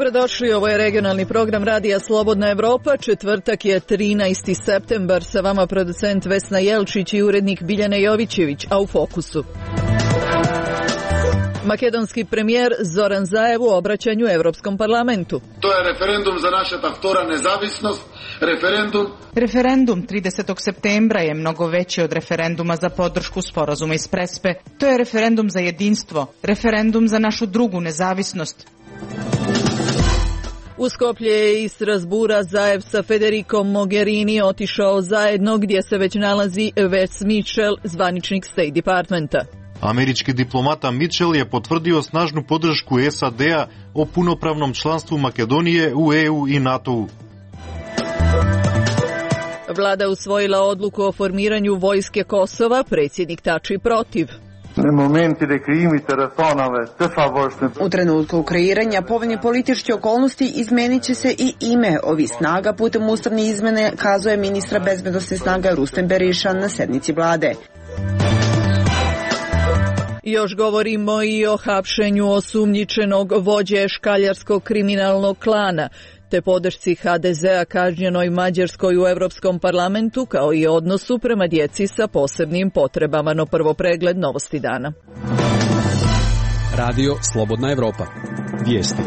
Dobrodošli, ovo je regionalni program Radija Slobodna Evropa. Četvrtak je 13. septembar, sa vama producent Vesna Jelčić i urednik Biljana Jovićević, a u fokusu. Makedonski premijer Zoran Zaev u obraćanju Evropskom parlamentu. To je referendum za naša tahtora nezavisnost, Referendum 30. septembra je mnogo veći od referenduma za podršku sporazuma iz Prespe. To je referendum za jedinstvo, referendum za našu drugu nezavisnost. U Skoplje je iz Strasbura Zaev sa Federikom Mogherini otišao zajedno, gdje se već nalazi Wes Mitchell, zvaničnik State Departmenta. Američki diplomata Mitchell je potvrdio snažnu podršku SAD-a o punopravnom članstvu Makedonije u EU i NATO-u. Vlada usvojila odluku o formiranju vojske Kosova, predsjednik Tači protiv. U trenutku kreiranja povoljne političke okolnosti izmenit će se i ime ovih snaga putem ustavne izmene, kazuje ministra bezbednosne snaga Rustem Berišan na sednici vlade. Još govorimo i o hapšenju osumnjičenog vođe škaljarskog kriminalnog klana, te podršci HDZ-a kažnjenoj Mađarskoj u Evropskom parlamentu, kao i odnosu prema djeci sa posebnim potrebama. No prvo pregled novosti dana. Radio Slobodna Evropa. Vijesti.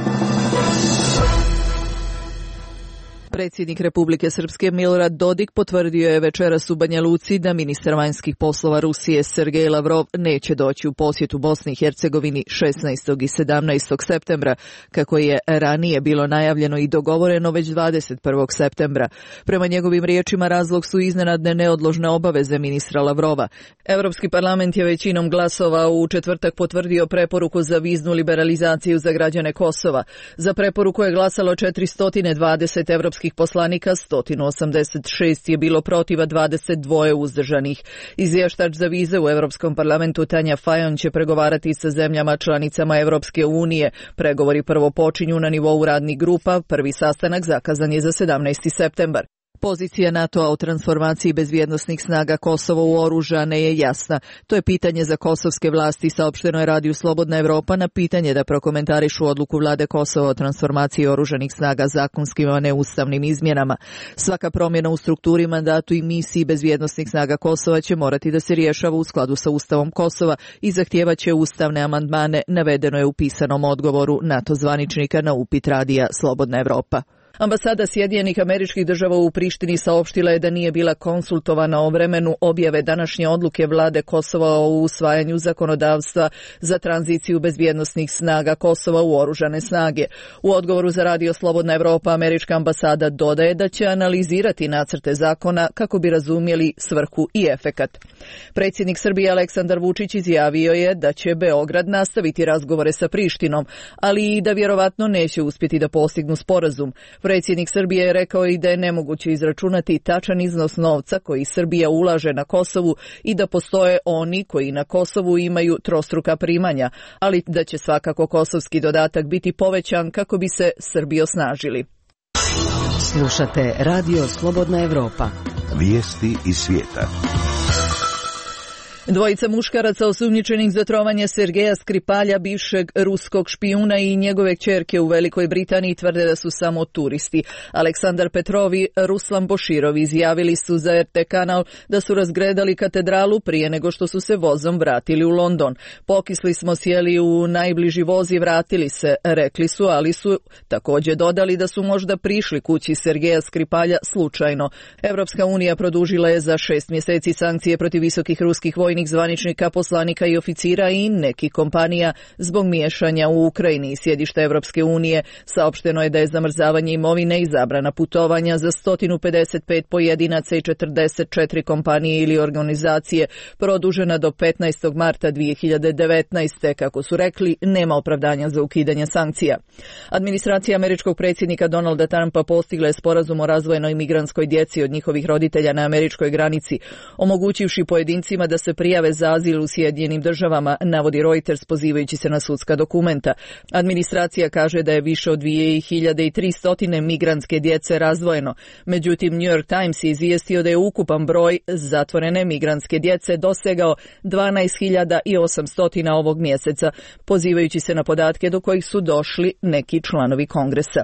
Predsjednik Republike Srpske Milorad Dodik potvrdio je večeras u Banja Luci da ministar vanjskih poslova Rusije Sergej Lavrov neće doći u posjetu Bosni i Hercegovini 16. i 17. septembra, kako je ranije bilo najavljeno i dogovoreno već 21. septembra. Prema njegovim riječima razlog su iznenadne neodložne obaveze ministra Lavrova. Evropski parlament je većinom glasova u četvrtak potvrdio preporuku za viznu liberalizaciju za građane Kosova. Za preporuku je glasalo 420 evropskih poslanika, 186 je bilo protiv, a 22 uzdržanih. Izvještač za vize u Evropskom parlamentu Tanja Fajon će pregovarati sa zemljama članicama Evropske unije. Pregovori prvo počinju na nivou radnih grupa, prvi sastanak zakazan je za 17. septembar. Pozicija NATO-a o transformaciji bezbjednosnih snaga Kosova u oružane je jasna. To je pitanje za kosovske vlasti, saopšteno je Radiju Slobodna Evropa na pitanje da prokomentarišu odluku vlade Kosova o transformaciji oružanih snaga zakonskim, a ne ustavnim izmjenama. Svaka promjena u strukturi, mandatu i misiji bezbjednosnih snaga Kosova će morati da se rješava u skladu sa Ustavom Kosova i zahtijevaće ustavne amandmane, navedeno je u pisanom odgovoru NATO zvaničnika na upit Radija Slobodna Evropa. Ambasada Sjedinjenih Američkih Država u Prištini saopštila je da nije bila konsultovana o vremenu objave današnje odluke vlade Kosova o usvajanju zakonodavstva za tranziciju bezbjednosnih snaga Kosova u oružane snage. U odgovoru za Radio Slobodna Evropa američka ambasada dodaje da će analizirati nacrte zakona kako bi razumjeli svrhu i efekat. Predsjednik Srbije Aleksandar Vučić izjavio je da će Beograd nastaviti razgovore sa Prištinom, ali i da vjerovatno neće uspjeti da postignu sporazum. Predsjednik Srbije je rekao i da je nemoguće izračunati tačan iznos novca koji Srbija ulaže na Kosovu i da postoje oni koji na Kosovu imaju trostruka primanja, ali da će svakako kosovski dodatak biti povećan kako bi se Srbi osnažili. Slušate Radio Slobodna Evropa. Vijesti iz svijeta. Dvojica muškaraca osumnjičenih za trovanje Sergeja Skripalja, bivšeg ruskog špijuna, i njegove kćerke u Velikoj Britaniji tvrde da su samo turisti. Aleksandar Petrov i Ruslan Boširov izjavili su za RT kanal da su razgledali katedralu prije nego što su se vozom vratili u London. Pokisli smo, sjeli u najbliži voz i vratili se, rekli su, ali su također dodali da su možda prišli kući Sergeja Skripalja slučajno. Evropska unija produžila je za 6 mjeseci sankcije protiv visokih ruskih vojnih zvaničnika, poslanika i oficira i nekih kompanija zbog miješanja u Ukrajini. Sjedište Evropske unije saopšteno je da je zamrzavanje imovine i zabrana putovanja za 155 pojedinaca i 44 kompanije ili organizacije produžena do 15. marta 2019. Kako su rekli, nema opravdanja za ukidanje sankcija. Administracija američkog predsjednika Donalda Trumpa postigla je sporazum o razvojenoj migrantskoj djeci od njihovih roditelja na američkoj granici, omogućivši pojedincima da se prijave za azil u Sjedinjenim državama, navodi Reuters pozivajući se na sudska dokumenta. Administracija kaže da je više od 2300 migrantske djece razdvojeno. Međutim, New York Times je izvijestio da je ukupan broj zatvorene migrantske djece dosegao 12.800 ovog mjeseca, pozivajući se na podatke do kojih su došli neki članovi Kongresa.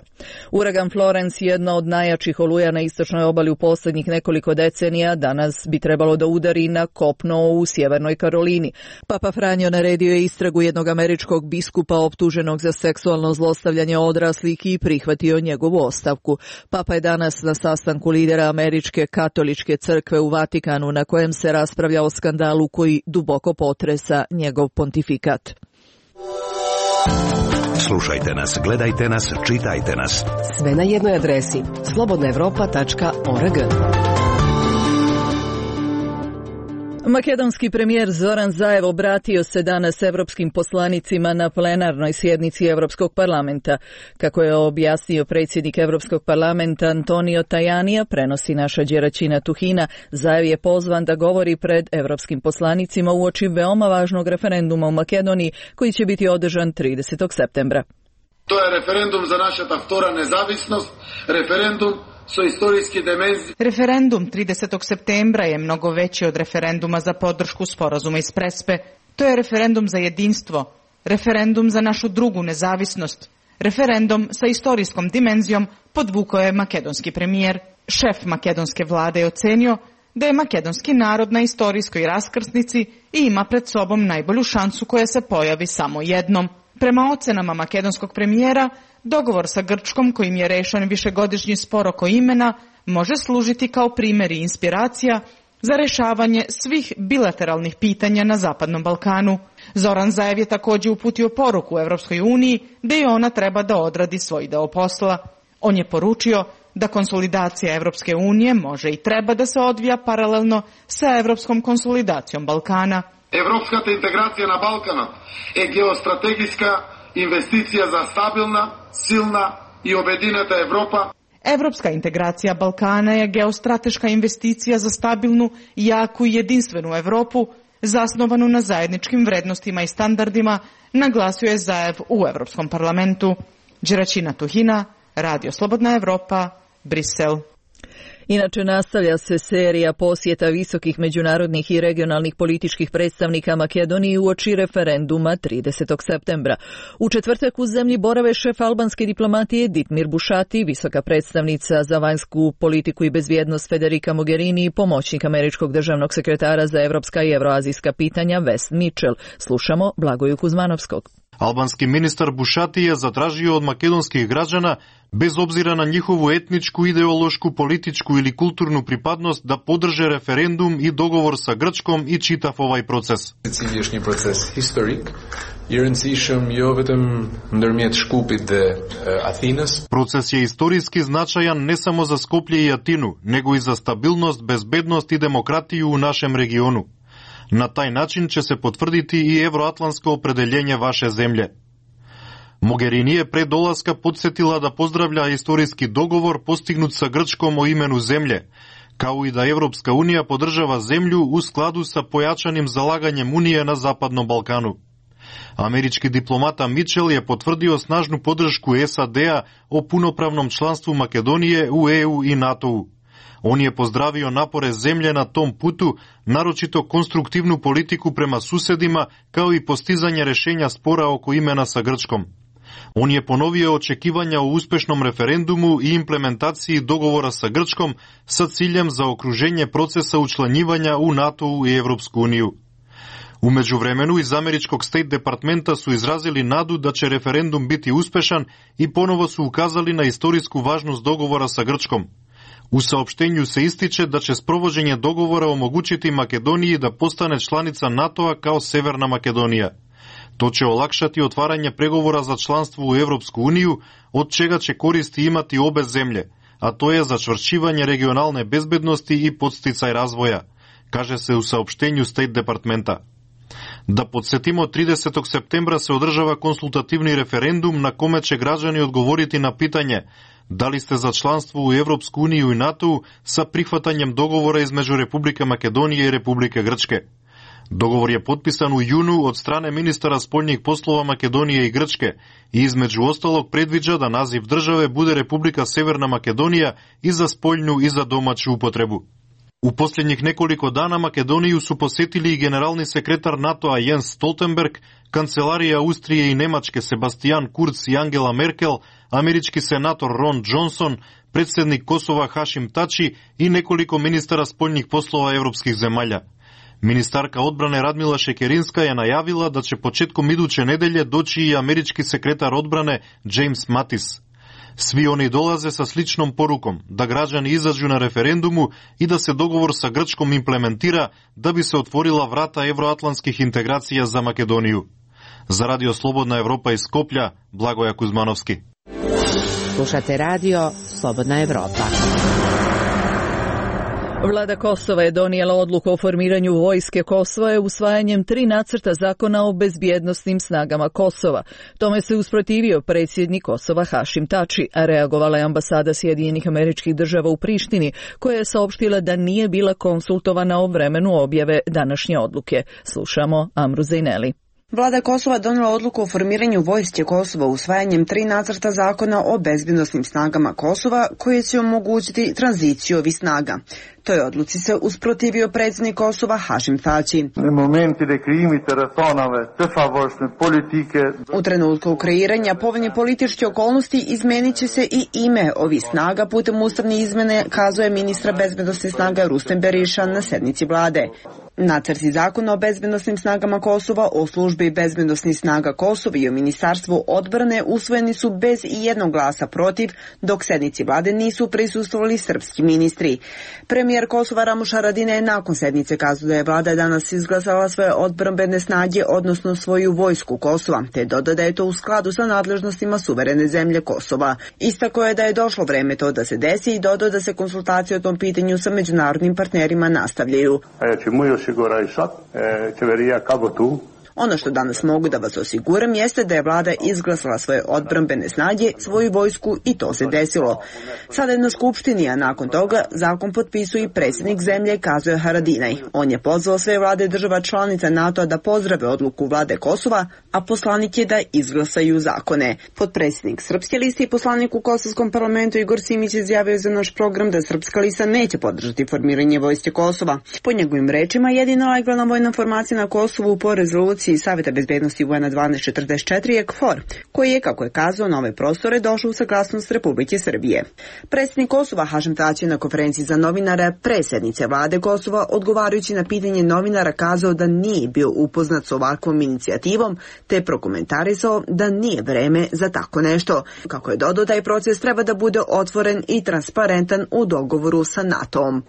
Uragan Florence, jedna od najjačih oluja na istočnoj obali u posljednjih nekoliko decenija, danas bi trebalo da udari na kopno u Sjevernoj Karolini. Papa Franjo naredio je istragu jednog američkog biskupa optuženog za seksualno zlostavljanje odraslih i prihvatio njegovu ostavku. Papa je danas na sastanku lidera Američke katoličke crkve u Vatikanu, na kojem se raspravlja o skandalu koji duboko potresa njegov pontifikat. Slušajte nas, gledajte nas, čitajte nas. Sve na jednoj adresi slobodnaevropa.org. Makedonski premijer Zoran Zaev obratio se danas evropskim poslanicima na plenarnoj sjednici Evropskog parlamenta. Kako je objasnio predsjednik Evropskog parlamenta Antonio Tajanija, prenosi naša Đeraćina Tuhina, Zaev je pozvan da govori pred evropskim poslanicima uoči veoma važnog referenduma u Makedoniji koji će biti održan 30. septembra. To je referendum za naša vtora nezavisnost, referendum su istorijski dimenzije. Referendum 30. septembra je mnogo veći od referenduma za podršku sporazuma iz Prespe. To je referendum za jedinstvo, referendum za našu drugu nezavisnost, referendum sa istorijskom dimenzijom, podvukao je makedonski premijer. Šef makedonske vlade je ocenio da je makedonski narod na istorijskoj raskrsnici i ima pred sobom najbolju šansu koja se pojavi samo jednom. Prema ocenama makedonskog premijera, dogovor sa Grčkom, kojim je rešen višegodišnji spor oko imena, može služiti kao primjer i inspiracija za rešavanje svih bilateralnih pitanja na Zapadnom Balkanu. Zoran Zaev je također uputio poruku Evropskoj uniji da i ona treba da odradi svoj deo posla. On je poručio da konsolidacija Evropske unije može i treba da se odvija paralelno sa evropskom konsolidacijom Balkana. Evropskата integracija na Balkanu je geostrategijska investicija za stabilna, silna i objedinjena Evropa. Evropska integracija Balkana je geostrateška investicija za stabilnu, jaku i jedinstvenu Evropu, zasnovanu na zajedničkim vrednostima i standardima, naglasio je Zaev u Evropskom parlamentu. Đeraćina Tuhina, Radio Slobodna Evropa, Brisel. Inače, nastavlja se serija posjeta visokih međunarodnih i regionalnih političkih predstavnika Makedoniji uoči referenduma 30. septembra. U četvrtak u zemlji borave šef albanske diplomatije Ditmir Bušati, visoka predstavnica za vanjsku politiku i bezbjednost Federica Mogherini i pomoćnik američkog državnog sekretara za evropska i evroazijska pitanja Wes Mitchell. Slušamo Blagoju Kuzmanovskog. Albanski ministar Bušati je zatražio od makedonskih građana, bez obzira na njihovu etničku, ideološku, političku ili kulturnu pripadnost, da podrže referendum i dogovor sa Grčkom i čitav ovaj proces. Cilješnji proces historik, i rëndësishëm jo vetëm ndërmjet Shkupit dhe Athinës. Proces je istorijski značajan ne samo za Skoplje i Atinu, nego i za stabilnost, bezbednost i demokratiju u našem regionu. Na taj način će se potvrditi i evroatlantsko opredeljenje vaše zemlje. Mogherini je pre dolaska podsjetila da pozdravlja istorijski dogovor postignut sa Grčkom o imenu zemlje, kao i da Evropska unija podržava zemlju u skladu sa pojačanim zalaganjem Unije na Zapadnom Balkanu. Američki diplomata Mitchell je potvrdio snažnu podršku SAD-a o punopravnom članstvu Makedonije u EU i NATO-u. On je pozdravio napore zemlje na tom putu, naročito konstruktivnu politiku prema susedima, kao i postizanje rešenja spora oko imena sa Grčkom. On je ponovio očekivanja o uspešnom referendumu i implementaciji dogovora sa Grčkom sa ciljem za okruženje procesa učlanjivanja u NATO i Evropsku uniju. U međuvremenu iz američkog State Departmenta su izrazili nadu da će referendum biti uspešan i ponovo su ukazali na istorijsku važnost dogovora sa Grčkom. U saopštenju se ističe da će sprovođenje dogovora omogućiti Makedoniji da postane članica NATO-a kao Severna Makedonija. To će olakšati otvaranje pregovora za članstvo u Evropsku uniju, od čega će koristi imati obe zemlje, a to je začvršćivanje regionalne bezbednosti i podsticaj razvoja, kaže se u saopštenju State Departmenta. Da podsjetimo, 30. septembra se održava konsultativni referendum na kome će građani odgovoriti na pitanje da li ste za članstvo u Evropsku uniju i NATO sa prihvatanjem dogovora između Republike Makedonije i Republike Grčke. Договор je potpisan u junu od strane ministara spoljnih poslova Makedonije i Grčke i između ostalog predviđa da naziv države bude Republika Severna Makedonija i za spoljnu i za domaću upotrebu. U posljednjih nekoliko dana Makedoniju su posjetili i generalni sekretar NATO-a Jens Stoltenberg, kancelarije Austrije i Nemačke Sebastian Kurz i Angela Merkel, američki senator Ron Johnson, predsjednik Kosova Hašim Tači i nekoliko ministara spoljnih poslova evropskih zemalja. Ministarka odbrane Radmila Šekerinska je najavila da će početkom iduće nedelje doći i američki sekretar odbrane James Mattis. Svi oni dolaze sa sličnom porukom da građani izađu na referendumu i da se dogovor sa Grčkom implementira da bi se otvorila vrata evroatlantskih integracija za Makedoniju. Za Radio Slobodna Evropa iz Skoplja, Blagoja Kuzmanovski. Slušate radio Slobodna Evropa. Vlada Kosova je donijela odluku o formiranju vojske Kosova usvajanjem 3 nacrta zakona o bezbjednosnim snagama Kosova. Tome se usprotivio predsjednik Kosova Hašim Tači, a reagovala je ambasada Sjedinjenih Američkih Država u Prištini, koja je saopštila da nije bila konsultovana o vremenu objave današnje odluke. Slušamo Amru Zejneli. Vlada Kosova donijela odluku o formiranju vojske Kosova usvajanjem 3 nacrta zakona o bezbjednosnim snagama Kosova koje će omogućiti tranziciju ovih snaga. Toj odluci se usprotivio predsjednik Kosova Hašim Tači. U trenutku kreiranja povoljne političke okolnosti izmenit će se i ime ovih snaga putem ustavne izmene, kazuje ministra bezbjednosnih snaga Rustem Beriša na sednici vlade. Nacrti zakona o bezbjednosnim snagama Kosova, o službi bezbjednosnih snaga Kosova i o ministarstvu odbrane usvojeni su bez ijednog glasa protiv, dok sednici vlade nisu prisustvovali srpski ministri. Premijer Kosova Ramuš Haradinaj je nakon sednice kazao da je vlada danas izglasala svoje odbrambene snage, odnosno svoju vojsku Kosova, te dodao da je to u skladu sa nadležnostima suverene zemlje Kosova. Istakao je da je došlo vreme to da se desi i dodao da se konsultacije o tom pitanju sa međunarodnim partnerima nastavljaju. Ono što danas mogu da vas osiguram jeste da je vlada izglasala svoje odbrambene snage, svoju vojsku i to se desilo. Sada je na skupštini, a nakon toga zakon potpisuje i predsjednik zemlje, kazuje Haradinaj. On je pozvao sve vlade država članica NATO-a da pozdrave odluku vlade Kosova, a poslanik je da izglasaju zakone. Potpredsjednik Srpske liste i poslanik u Kosovskom parlamentu Igor Simić izjavio za naš program da Srpska lista neće podržati formiranje vojske Kosova. Po njegovim rečima, jedina legalna vojna formacija na Kosovu po rezoluciji Saveta bezbednosti UN 1244 je KFOR, koji je, kako je kazao, na ove prostore došao u saglasnost Republike Srbije. Predsjednik Kosova Hašim Tači na konferenciji za novinare pre sednice vlade Kosova, odgovarajući na pitanje novinara, kazao da nije bio upoznat s ovakvom inicijativom, te prokomentarisao da nije vreme za tako nešto. Kako je dodao, taj proces treba da bude otvoren i transparentan u dogovoru sa NATO-om.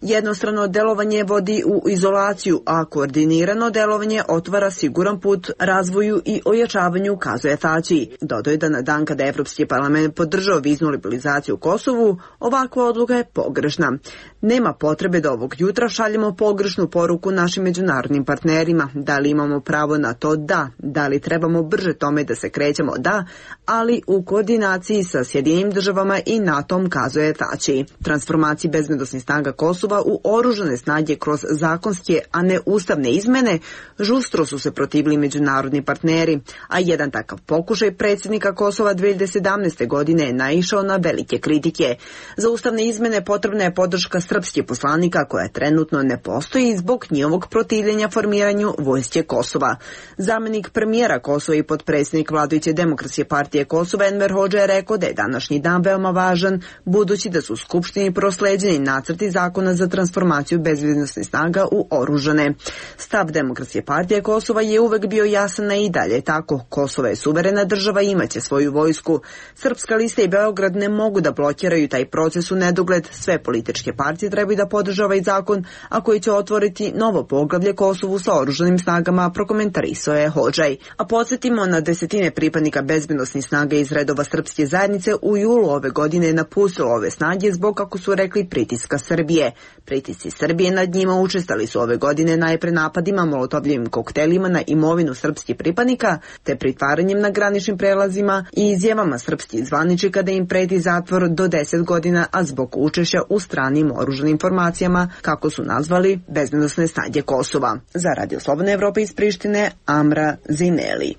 Jednostrano delovanje vodi u izolaciju, a koordinirano delovanje otvara siguran put razvoju i ojačavanju, kazuje Tači. Dodao je da na dan kada Evropski parlament podržao viznu liberalizaciju u Kosovu, ovakva odluka je pogrešna. Nema potrebe da ovog jutra šaljemo pogrešnu poruku našim međunarodnim partnerima. Da li imamo pravo na to? Da. Da li trebamo brže tome da se krećemo? Da, ali u koordinaciji sa Sjedinjenim državama i NATO-om, kazuje Tači. Transformaciji bezbednosnih snaga Kosova u oružane snage kroz zakonske, a ne ustavne izmene, žustro su se protivili međunarodni partneri, a jedan takav pokušaj predsjednika Kosova 2017. godine je naišao na velike kritike. Za ustavne izmene potrebna je podrška srpskih poslanika, koja trenutno ne postoji zbog njihovog protivljenja formiranju vojske Kosova. Zamenik premijera Kosova i potpredsjednik vladajuće Demokratske partije Kosova Enver Hodža je rekao da je današnji dan veoma važan, budući da su Skupštini prosleđeni nacrti zakona za transformaciju bezbednosnih snaga u oružane. Stav Demokratske partije Kosova je uvek bio jasan i dalje tako. Kosovo je suverena država i imaće svoju vojsku. Srpska lista i Beograd ne mogu da blokiraju taj proces u nedogled. Sve političke partije trebaju da podrže ovaj zakon, a koji će otvoriti novo poglavlje Kosovu sa oružanim snagama, prokomentarisao je Hodžaj. A podsjetimo, na desetine pripadnika bezbednosnih snaga iz redova srpske zajednice u julu ove godine je napustilo ove snage zbog kako su rekli, pritiska Srbije. Pritisci Srbije nad njima učestali su ove godine najpre napadima molotovljivim koktelima na imovinu srpskih pripadnika, te pritvaranjem na graničnim prelazima i izjavama srpskih zvaničnika da im preti zatvor do 10 godina, a zbog učešća u stranim oružanim formacijama, kako su nazvali bezbednosne snage Kosova. Za Radio Slobodna Evropa iz Prištine, Amra Zineli.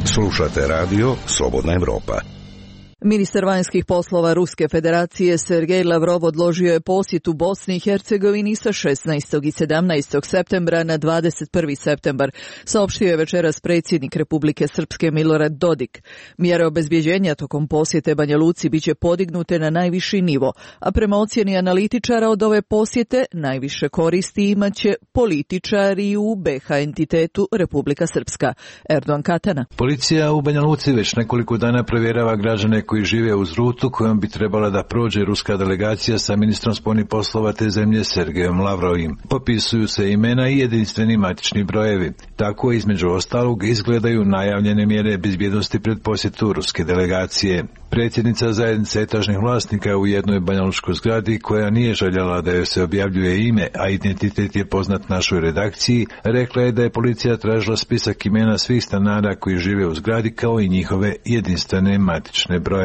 Slušate radio Slobodna Evropa. Ministar vanjskih poslova Ruske federacije Sergej Lavrov odložio je posjetu Bosni i Hercegovini sa 16. i 17. septembra na 21. septembar, saopštio je večeras predsjednik Republike Srpske Milorad Dodik. Mjere obezbjeđenja tokom posjete Banja Luci biće podignute na najviši nivo, a prema ocjeni analitičara od ove posjete najviše koristi imaće političari u BiH entitetu Republika Srpska. Erdogan Katana. Policija u Banja Luci već nekoliko dana provjerava građane koji žive uz rutu kojom bi trebala da prođe ruska delegacija sa ministrom spoljnih poslova te zemlje Sergejom Lavrovim. Popisuju se imena i jedinstveni matični brojevi. Tako između ostalog izgledaju najavljene mjere bezbjednosti pred posjetu ruske delegacije. Predsjednica zajednice etažnih vlasnika u jednoj banjalučkoj zgradi, koja nije željela da joj se objavljuje ime, a identitet je poznat našoj redakciji, rekla je da je policija tražila spisak imena svih stanara koji žive u zgradi kao i njihove jedinstvene matične brojeve.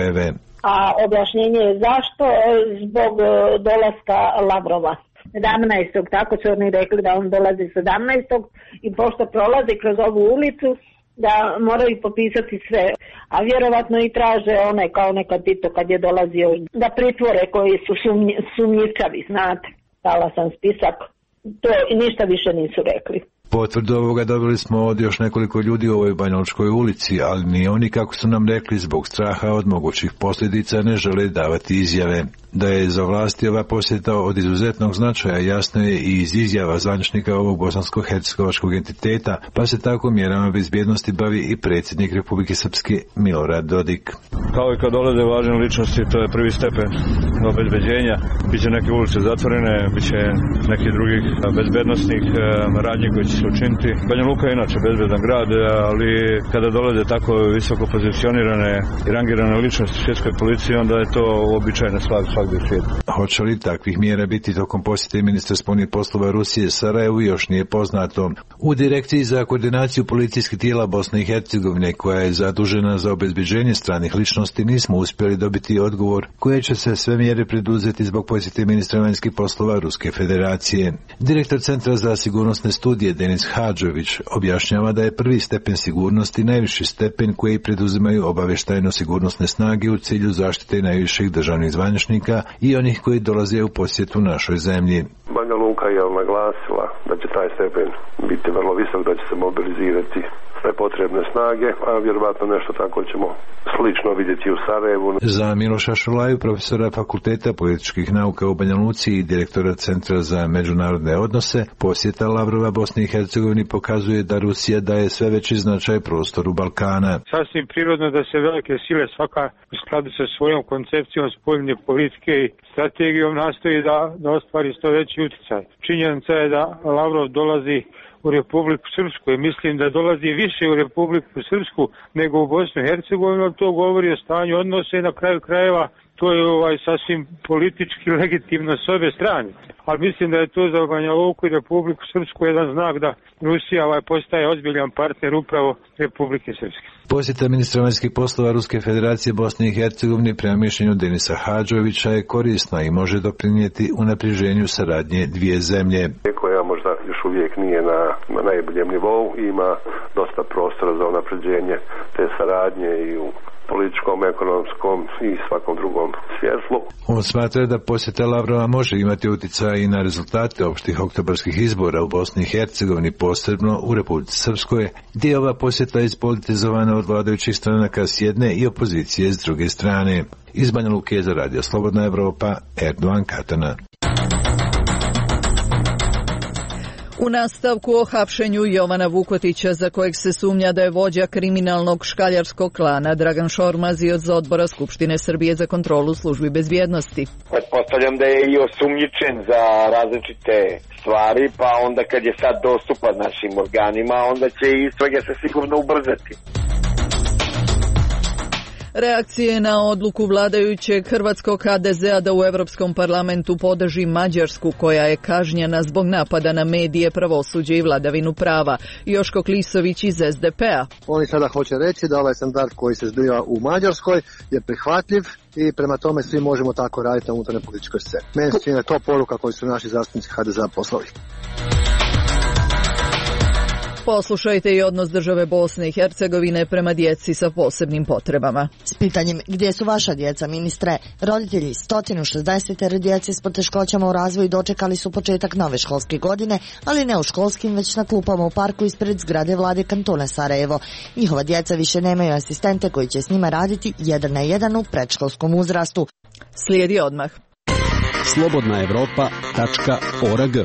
A objašnjenje je zašto? Zbog dolaska Lavrova. 17. tako su oni rekli da on dolazi 17. i pošto prolazi kroz ovu ulicu, da moraju popisati sve, a vjerovatno i traže one kao nekad Tito kad je dolazio da pritvore koji su sumnjičavi, znate. Dala sam spisak, to i ništa više nisu rekli. Potvrdu ovoga dobili smo od još nekoliko ljudi u ovoj banjalučkoj ulici, ali ni oni, kako su nam rekli, zbog straha od mogućih posljedica ne žele davati izjave. Da je za vlasti ova posjeta od izuzetnog značaja jasno je i iz izjava zvaničnika ovog bosansko-hercegovačkog entiteta, pa se tako mjerama bezbjednosti bavi i predsjednik Republike Srpske Milorad Dodik. Kao i kad dolaze važne ličnosti, to je prvi stepen obezbeđenja. Biće neke ulice zatvorene, biće neki drugih bezbednostnih radnji koji će se učiniti. Banja Luka je inače bezbedan grad, ali kada dolaze tako visoko pozicionirane i rangirane ličnosti svjetskoj policiji, onda je to uobičajena stvar svakdje u svijetu. Hoće li takvih mjera biti tokom posjete ministra spoljnih poslova Rusije Sarajevu još nije poznato. U Direkciji za koordinaciju policijskih tijela Bosne i Hercegovine, koja je zadužena za obezbeđenje stranih ličnosti, nismo uspjeli dobiti odgovor koje će se sve mjere preduzeti zbog posjete ministra vanjskih poslova Ruske federacije. Direktor Centra za sigurnosne studije Denis Hadžović objašnjava da je prvi stepen sigurnosti najviši stepen koji preduzimaju obavještajno-sigurnosne snage u cilju zaštite najviših državnih zvaničnika i onih koji dolaze u posjetu našoj zemlji. Banja Luka je naglasila da će taj stepen biti vrlo visok, da će se mobilizirati sve potrebne snage, a vjerovatno nešto tako ćemo slično vidjeti u Sarajevu. Za Miloša Šulaju, profesora Fakulteta političkih nauka u Banja Luci i direktora Centra za međunarodne odnose, posjeta Lavrova Bosni i Hercegovini pokazuje da Rusija daje sve veći značaj prostoru Balkana. Sasvim prirodno da se velike sile svaka u skladu sa svojom koncepcijom spoljne politike i strategijom nastoji da ostvari što veći utjecaj. Činjenica je da Lavrov dolazi u Republiku Srpsku i mislim da dolazi više u Republiku Srpsku nego u Bosnu i Hercegovinu, to govori o stanju odnose i na kraju krajeva to je sasvim politički legitimno s obe strane. Ali mislim da je to za Banja Luku i Republiku Srpsku jedan znak da Rusija postaje ozbiljan partner upravo Republike Srpske. Posjeta ministra vanjskih poslova Ruske federacije Bosne i Hercegovine prema mišljenju Denisa Hadžovića je korisna i može doprinijeti unapređenju saradnje dvije zemlje. Koja možda još uvijek nije na najboljem nivou, ima dosta prostora za unapređenje te saradnje i u političkom, ekonomskom i svakom drugom svjetlu. On smatra da posjeta Lavrova može imati utjecaj i na rezultate opštih oktobarskih izbora u Bosni i Hercegovini, posebno u Republici Srpskoj, gdje je ova posjeta ispolitizovana od vladajućih stranaka s jedne i opozicije s druge strane. Iz Banja Luke za Radio Slobodna Evropa, Erdogan Katana. U nastavku o hapšenju Jovana Vukotića, za kojeg se sumnja da je vođa kriminalnog škaljarskog klana, Dragan Šormaz iz odbora Skupštine Srbije za kontrolu službi bezbjednosti. Pretpostavljam da je i osumnjičen za različite stvari, pa onda kad je sad dostupan našim organima, onda će istrage se sigurno ubrzati. Reakcije na odluku vladajućeg hrvatskog HDZ-a da u Europskom parlamentu podrži Mađarsku, koja je kažnjena zbog napada na medije, pravosuđe i vladavinu prava. Joško Klisović iz SDP-a. Oni sada hoće reći da ovaj standard koji se zbiva u Mađarskoj je prihvatljiv i prema tome svi možemo tako raditi na unutarnjoj političkoj sceni. Meni se čini da je to poruka koju su naši zastupnici HDZ-a poslali. Poslušajte i odnos države Bosne i Hercegovine prema djeci sa posebnim potrebama. S pitanjem gdje su vaša djeca, ministre, roditelji 160 djece s poteškoćama u razvoju dočekali su početak nove školske godine, ali ne u školskim, već na klupama u parku ispred zgrade vlade kantona Sarajevo. Njihova djeca više nemaju asistente koji će s njima raditi 1 na 1 u predškolskom uzrastu. Slijedi odmah. Slobodnaevropa.org.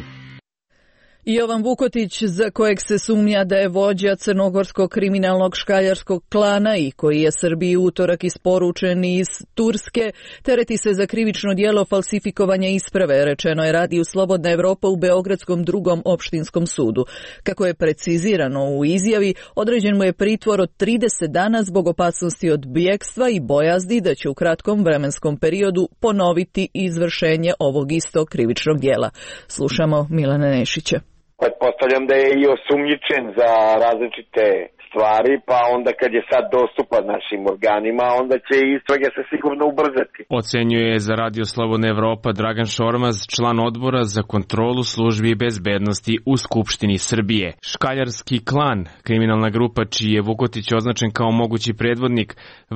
Jovan Vukotić, za kojeg se sumnja da je vođa crnogorskog kriminalnog škaljarskog klana i koji je Srbiji utorak isporučen iz Turske, tereti se za krivično djelo falsifikovanja isprave, rečeno je radiju Slobodna Evropa u Beogradskom drugom opštinskom sudu. Kako je precizirano u izjavi, određen mu je pritvor od 30 dana zbog opasnosti od bjegstva i bojazdi da će u kratkom vremenskom periodu ponoviti izvršenje ovog istog krivičnog djela. Slušamo Milana Nešića. Pretpostavljam da je i osumnjičen za različite stvari, pa onda kad je sad dostupan našim organima, onda će istrage se sigurno ubrzati. Ocenjuje za Radio Slobodna Evropa Dragan Šormaz, član odbora za kontrolu službi i bezbednosti u Skupštini Srbije. Škaljarski klan, kriminalna grupa čiji je Vukotić označen kao mogući predvodnik,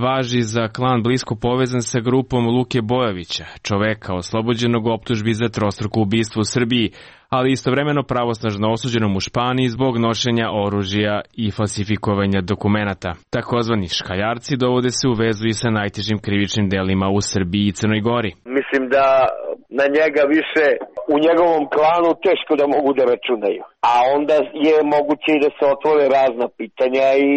važi za klan blisko povezan sa grupom Luke Bojovića, čoveka oslobođenog optužbi za trostruko ubistvo u Srbiji, ali istovremeno pravosnažno osuđenom u Španiji zbog nošenja oružja i falsifikovanja dokumenata. Takozvani škaljarci dovode se u vezu i sa najtežim krivičnim delima u Srbiji i Crnoj Gori. Mislim da na njega više u njegovom klanu teško da mogu da računaju. A onda je moguće i da se otvore razna pitanja i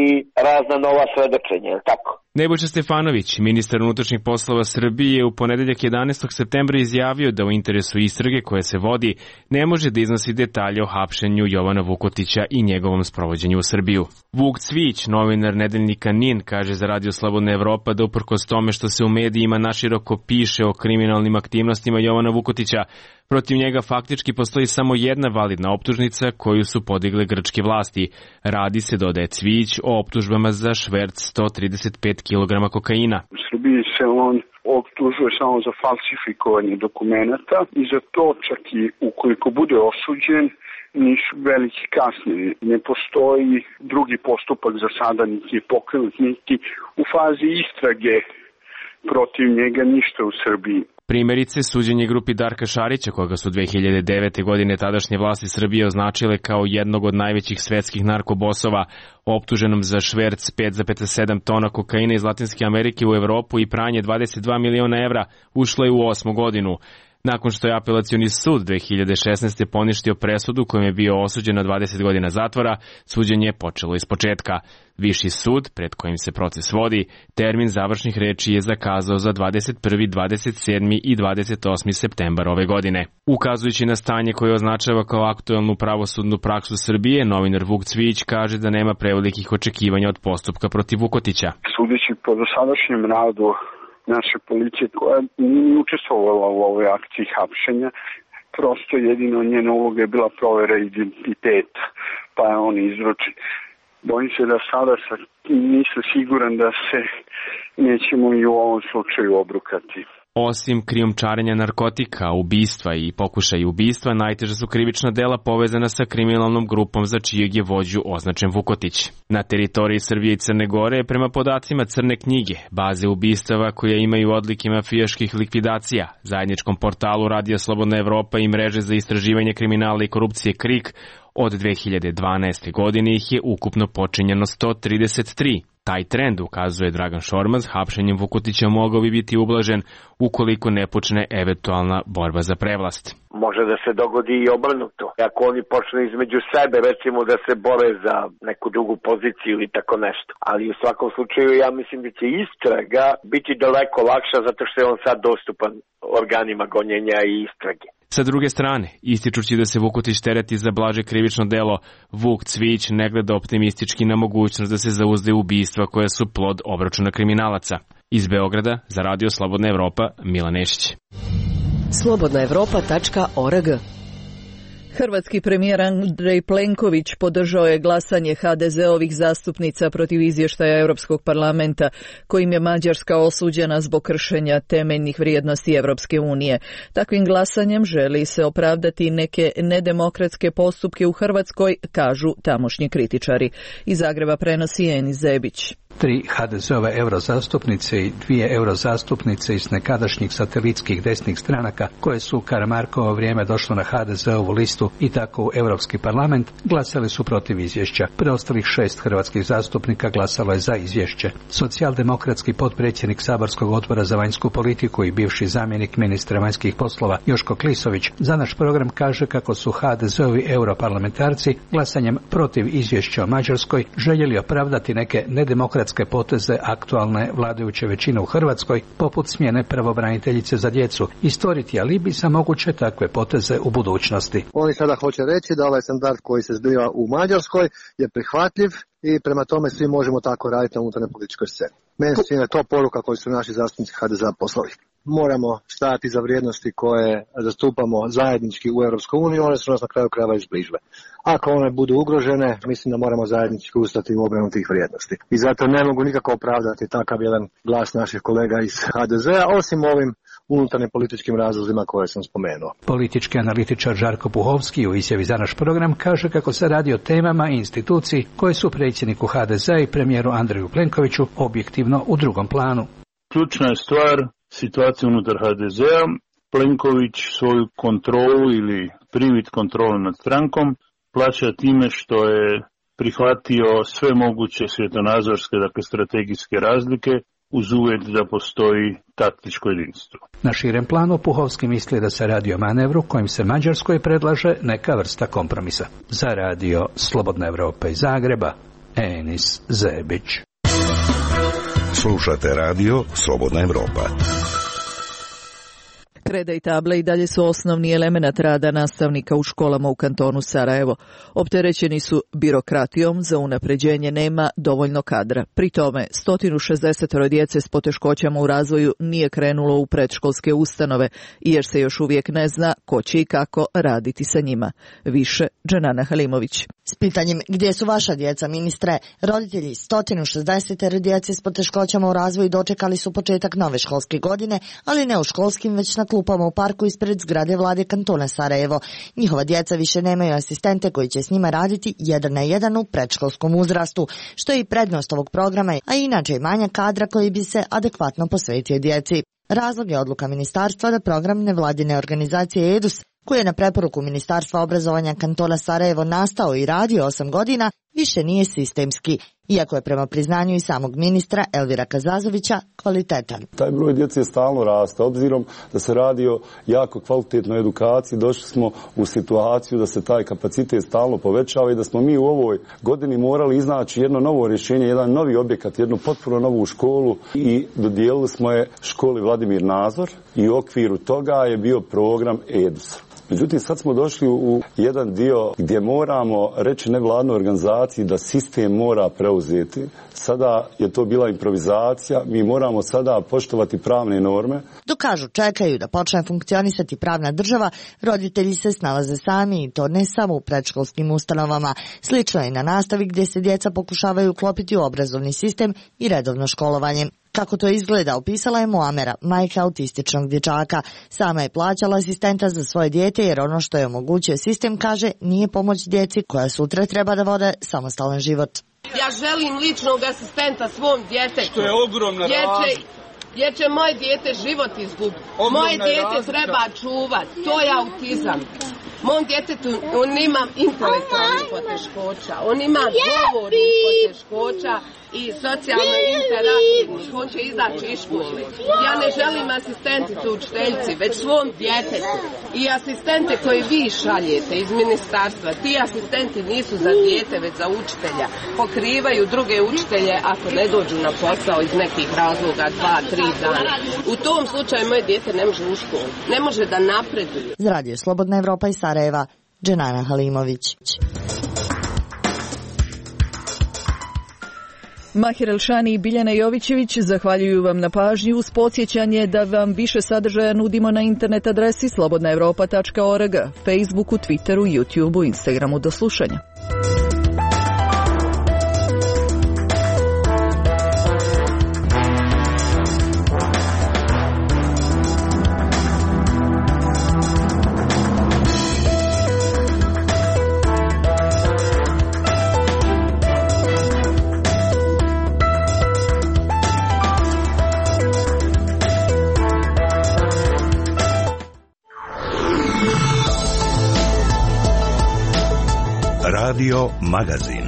razna nova svedočenja, tako? Nebojša Stefanović, ministar unutrašnjih poslova Srbije, je u ponedeljak 11. septembra izjavio da u interesu istrage koje se vodi ne može da iznosi detalje o hapšenju Jovana Vukotića i njegovom sprovođenju u Srbiju. Vuk Cvić, novinar nedeljnika NIN, kaže za Radio Slobodna Evropa da uprkos tome što se u medijima naširoko piše o kriminalnim aktivnostima Jovana Vukotića, protiv njega faktički postoji samo jedna validna optužnica koju su podigle grčke vlasti. Radi se, dodaje Cvić, o optužbama za šverc 135 kg kokaina. U Srbiji se on optužuje samo za falsifikovanje dokumenata i za to čak i ukoliko bude osuđen nisu veliki kasnije. Ne postoji drugi postupak za sada, niti je pokrenut, niti u fazi istrage protiv njega ništa u Srbiji. Primjerice, suđenje grupi Darka Šarića, koga su 2009. godine tadašnje vlasti Srbije označile kao jednog od najvećih svetskih narkobosova, optuženom za šverc 5,7 tona kokaina iz Latinske Amerike u Evropu i pranje 22 miliona evra, ušlo je u 8. godinu. Nakon što je apelacioni sud 2016. poništio presudu kojom je bio osuđen na 20 godina zatvora, suđenje je počelo iz početka. Viši sud, pred kojim se proces vodi, termin završnih reči je zakazao za 21., 27. i 28. septembar ove godine. Ukazujući na stanje koje označava kao aktuelnu pravosudnu praksu Srbije, novinar Vuk Cvić kaže da nema prevelikih očekivanja od postupka protiv Vukotića. Sudeći po dosadašnjem radu naše policije koja nije učestvovala u ovoj akciji hapšenja, prosto jedino njena uloga je bila provera identiteta, pa je on izručen. Bojim se da sada nisam siguran da se nećemo i u ovom slučaju obrukati. Osim krijumčarenja narkotika, ubistva i pokušaja ubistva, najteža su krivična dela povezana sa kriminalnom grupom za čijeg je vođu označen Vukotić. Na teritoriji Srbije i Crne Gore, prema podacima Crne knjige, baze ubistava koje imaju odlike mafijaških likvidacija, zajedničkom portalu Radija Slobodna Evropa i mreže za istraživanje kriminala i korupcije KRIK, od 2012. godine ih je ukupno počinjeno 133. Taj trend, ukazuje Dragan Šormaz, hapšenjem Vukotića mogao bi biti ublažen ukoliko ne počne eventualna borba za prevlast. Može da se dogodi i obrnuto. Ako oni počnu između sebe, recimo da se bore za neku drugu poziciju ili tako nešto. Ali u svakom slučaju ja mislim da će istraga biti daleko lakša zato što je on sad dostupan organima gonjenja i istrage. Sa druge strane, ističući da se Vukotić tereti za blaže krivično delo, Vuk Cvić ne gleda optimistički na mogućnost da se zauzde ubistva koja su plod obračuna kriminalaca. Iz Beograda za Radio Slobodna Evropa, Milan Nešić. Slobodnaevropa.org. Hrvatski premijer Andrej Plenković podržao je glasanje HDZ-ovih zastupnica protiv izvještaja Europskog parlamenta, kojim je Mađarska osuđena zbog kršenja temeljnih vrijednosti Europske unije. Takvim glasanjem želi se opravdati neke nedemokratske postupke u Hrvatskoj, kažu tamošnji kritičari. Iz Zagreba prenosi Enis Zebić. 3 HDZ-ove eurozastupnice i 2 eurozastupnice iz nekadašnjih satelitskih desnih stranaka koje su u Karamarkovo vrijeme došlo na HDZ-ovu listu i tako u Europski parlament glasali su protiv izvješća. Preostalih 6 hrvatskih zastupnika glasalo je za izvješće. Socijaldemokratski potpredsjednik Saborskog odbora za vanjsku politiku i bivši zamjenik ministra vanjskih poslova Joško Klisović za naš program kaže kako su HDZ-ovi europarlamentarci glasanjem protiv izvješća o Mađarskoj željeli opravdati neke nedemokratske poteze aktualne vladajuće većine u Hrvatskoj, poput smjene pravobraniteljice za djecu, i stvoriti alibi za moguće takve poteze u budućnosti. Oni sada hoće reći da ovaj standard koji se zbiva u Mađarskoj je prihvatljiv i prema tome svi možemo tako raditi na unutarnjoj političkoj sceni. Meni se čini to poruka koju su naši zastupnici HDZ-a poslali. Moramo stajati za vrijednosti koje zastupamo zajednički u EU, one su nas na kraju krajeva izbližile. Ako one budu ugrožene, mislim da moramo zajednički ustati u obranu tih vrijednosti. I zato ne mogu nikako opravdati takav jedan glas naših kolega iz HDZ-a, osim ovim unutarnjim političkim razlozima koje sam spomenuo. Politički analitičar Žarko Puhovski u izjavi za naš program kaže kako se radi o temama i instituciji koje su predsjedniku HDZ-a i premijeru Andreju Plenkoviću objektivno u drugom planu. Ključna je stvar situacija unutar HDZ-a. Plenković svoju kontrolu ili privid kontrole nad strankom plaća time što je prihvatio sve moguće svjetonazorske, dakle strategijske razlike, uz uvjet da postoji taktičko jedinstvo. Na širem planu Puhovski misli da se radi o manevru kojim se Mađarskoj predlaže neka vrsta kompromisa. Za Radio Slobodna Evropa iz Zagreba, Enis Zebić. Slušate Radio Slobodna Evropa. Kreda i table i dalje su osnovni element rada nastavnika u školama u kantonu Sarajevo. Opterećeni su birokratijom, za unapređenje nema dovoljno kadra. Pri tome, 160 djece s poteškoćama u razvoju nije krenulo u predškolske ustanove, jer se još uvijek ne zna ko će i kako raditi sa njima. Više, Dženana Halimović. S pitanjem gdje su vaša djeca, ministre, roditelji 160 djece s poteškoćama u razvoju dočekali su početak nove školske godine, ali ne u školskim, već na klupama u parku ispred zgrade vlade kantona Sarajevo. Njihova djeca više nemaju asistente koji će s njima raditi 1 na 1 u predškolskom uzrastu, što je i prednost ovog programa, a inače i manja kadra koji bi se adekvatno posvetio djeci. Razlog je odluka ministarstva da program nevladine organizacije EDUS, koji je na preporuku Ministarstva obrazovanja kantona Sarajevo nastao i radio 8 godina, više nije sistemski, iako je prema priznanju i samog ministra Elvira Kazazovića kvalitetan. Taj broj djece stalno raste, obzirom da se radi o jako kvalitetnoj edukaciji, došli smo u situaciju da se taj kapacitet stalno povećava i da smo mi u ovoj godini morali iznaći jedno novo rješenje, jedan novi objekat, jednu potpuno novu školu i dodijelili smo je školi Vladimir Nazor i u okviru toga je bio program EDUS. Međutim, sad smo došli u jedan dio gdje moramo reći nevladnoj organizaciji da sistem mora preuzeti. Sada je to bila improvizacija, mi moramo sada poštovati pravne norme. Dok kažu čekaju da počne funkcionisati pravna država, roditelji se snalaze sami i to ne samo u predškolskim ustanovama. Slično je i na nastavi gdje se djeca pokušavaju uklopiti u obrazovni sistem i redovno školovanje. Kako to izgleda, opisala je Muamera, majka autističnog dječaka. Sama je plaćala asistenta za svoje dijete jer ono što je omogućio sistem, kaže, nije pomoć djeci koja sutra treba da vode samostalan život. Ja želim ličnog asistenta svom djetetu. Što je ogromna razlika. Jer će moje dijete život izgubiti. Moje dijete treba čuvati. To je autizam. Mom djetetu, on ima intelektualnih poteškoća, on ima govornih poteškoća i socijalno interaktivnih, on će izaći iz škole. Ja ne želim asistenticu učiteljici, već svom djetetu. I asistente koje vi šaljete iz ministarstva, ti asistenti nisu za dijete, već za učitelja. Pokrivaju druge učitelje ako ne dođu na posao iz nekih razloga 2-3 dana. U tom slučaju moje dijete ne može u školu, ne može da napreduje. Za Radio Slobodna Evropa i Sarajeva, Dženana Halimović. Mahir Elšani i Biljana Jovićević zahvaljuju vam na pažnji uz podsjećanje da vam više sadržaja nudimo na internet adresi slobodnaevropa.org, Facebooku, Twitteru, YouTubeu, Instagramu. Do slušanja. Radio Magazin.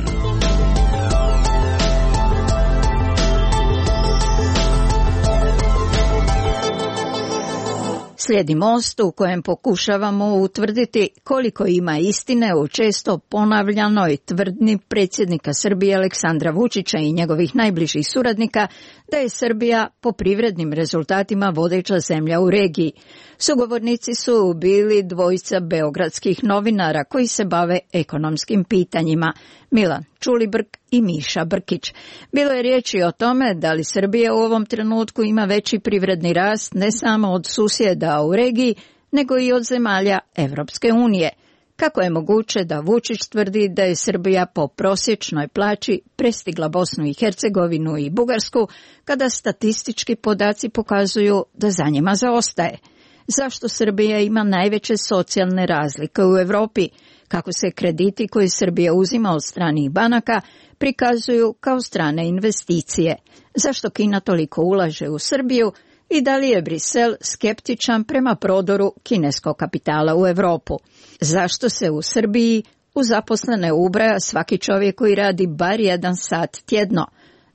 Slijedi Most u kojem pokušavamo utvrditi koliko ima istine u često ponavljanoj tvrdnji predsjednika Srbije Aleksandra Vučića i njegovih najbližih suradnika da je Srbija po privrednim rezultatima vodeća zemlja u regiji. Sugovornici su bili dvojica beogradskih novinara koji se bave ekonomskim pitanjima, Milan Čulibrk i Miša Brkić. Bilo je riječi o tome da li Srbija u ovom trenutku ima veći privredni rast ne samo od susjeda u regiji, nego i od zemalja Evropske unije. Kako je moguće da Vučić tvrdi da je Srbija po prosječnoj plaći prestigla Bosnu i Hercegovinu i Bugarsku, kada statistički podaci pokazuju da za njima zaostaje? Zašto Srbija ima najveće socijalne razlike u Europi? Kako se krediti koje Srbija uzima od stranih banaka prikazuju kao strane investicije? Zašto Kina toliko ulaže u Srbiju? I da li je Brisel skeptičan prema prodoru kineskog kapitala u Europu? Zašto se u Srbiji u zaposlene ubraja svaki čovjek koji radi bar 1 sat tjedno?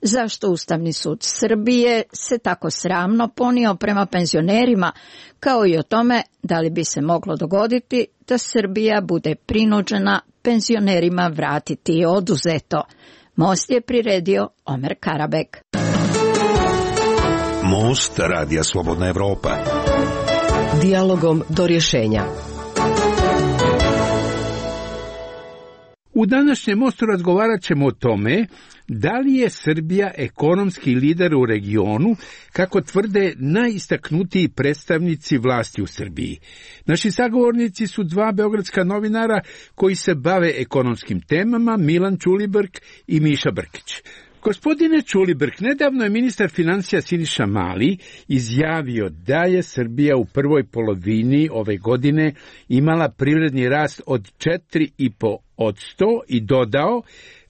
Zašto Ustavni sud Srbije se tako sramno ponio prema penzionerima, kao i o tome da li bi se moglo dogoditi da Srbija bude prinuđena penzionerima vratiti oduzeto? Most je priredio Omer Karabek. Most Radija Slobodna Evropa. Dijalogom do rješenja. U današnjem Mostu razgovarat ćemo o tome da li je Srbija ekonomski lider u regionu, kako tvrde najistaknutiji predstavnici vlasti u Srbiji. Naši sagovornici su 2 beogradska novinara koji se bave ekonomskim temama, Milan Čulibrk i Miša Brkić. Gospodine Čulibrk, nedavno je ministar financija Siniša Mali izjavio da je Srbija u prvoj polovini ove godine imala privredni rast od 4,5% i dodao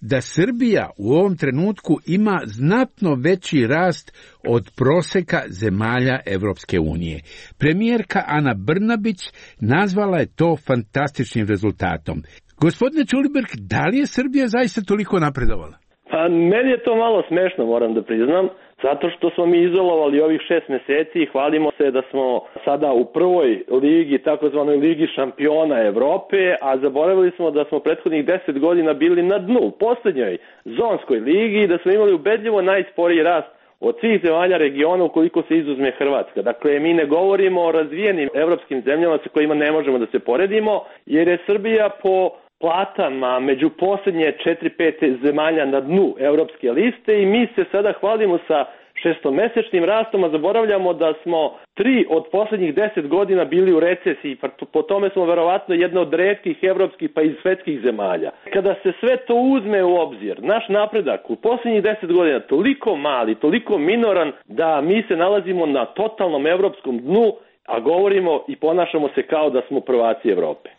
da Srbija u ovom trenutku ima znatno veći rast od proseka zemalja Evropske unije. Premijerka Ana Brnabić nazvala je to fantastičnim rezultatom. Gospodine Čulibrk, da li je Srbija zaista toliko napredovala? Pa meni je to malo smešno, moram da priznam, zato što smo mi izolovali ovih 6 mjeseci i hvalimo se da smo sada u prvoj ligi, takozvanoj ligi šampiona Evrope, a zaboravili smo da smo prethodnih 10 godina bili na dnu, u posljednjoj zonskoj ligi i da smo imali ubedljivo najsporiji rast od svih zemalja regiona ukoliko se izuzme Hrvatska. Dakle, mi ne govorimo o razvijenim evropskim zemljama sa kojima ne možemo da se poredimo, jer je Srbija po platama među posljednje 4-5 zemalja na dnu evropske liste i mi se sada hvalimo sa 6-mesečnim rastom, a zaboravljamo da smo 3 od posljednjih 10 godina bili u recesiji, po tome smo verovatno jedna od retkih evropskih pa i svetskih zemalja. Kada se sve to uzme u obzir, naš napredak u posljednjih 10 godina toliko mali, toliko minoran da mi se nalazimo na totalnom evropskom dnu, a govorimo i ponašamo se kao da smo prvaci Evrope.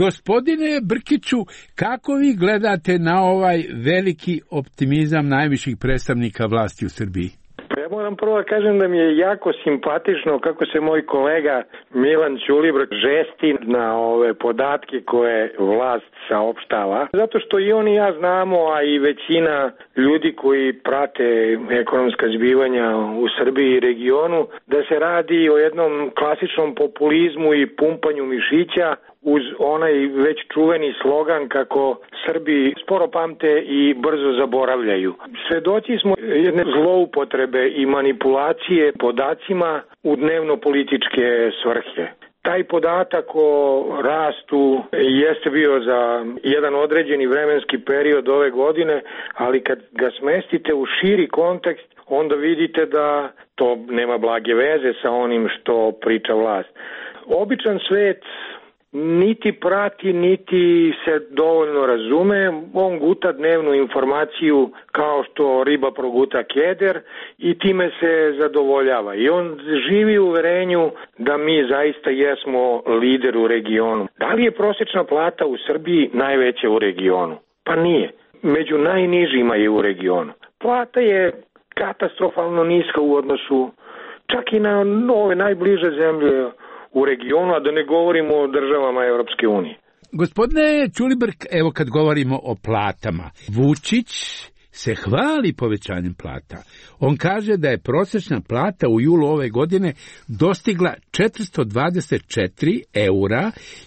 Gospodine Brkiću, kako vi gledate na ovaj veliki optimizam najviših predstavnika vlasti u Srbiji? Ja moram prvo da kažem da mi je jako simpatično kako se moj kolega Milan Ćulibrk žesti na ove podatke koje vlast saopštava. Zato što i on i ja znamo, a i većina ljudi koji prate ekonomska zbivanja u Srbiji i regionu, da se radi o jednom klasičnom populizmu i pumpanju mišića uz onaj već čuveni slogan kako Srbi sporo pamte i brzo zaboravljaju. Svedoci smo jedne zloupotrebe i manipulacije podacima u dnevno-političke svrhe. Taj podatak o rastu jeste bio za jedan određeni vremenski period ove godine, ali kad ga smestite u širi kontekst, onda vidite da to nema blage veze sa onim što priča vlast. Običan svet niti prati, niti se dovoljno razume, on guta dnevnu informaciju kao što riba proguta keder i time se zadovoljava. I on živi u uverenju da mi zaista jesmo lider u regionu. Da li je prosječna plata u Srbiji najveća u regionu? Pa nije. Među najnižima je u regionu. Plata je katastrofalno niska u odnosu čak i na ove najbliže zemlje u regionu, a da ne govorimo o državama Europske unije. Gospodine Ćulibrk, evo kad govorimo o platama, Vučić se hvali povećanjem plata. On kaže da je prosječna plata u julu ove godine dostigla 424 eura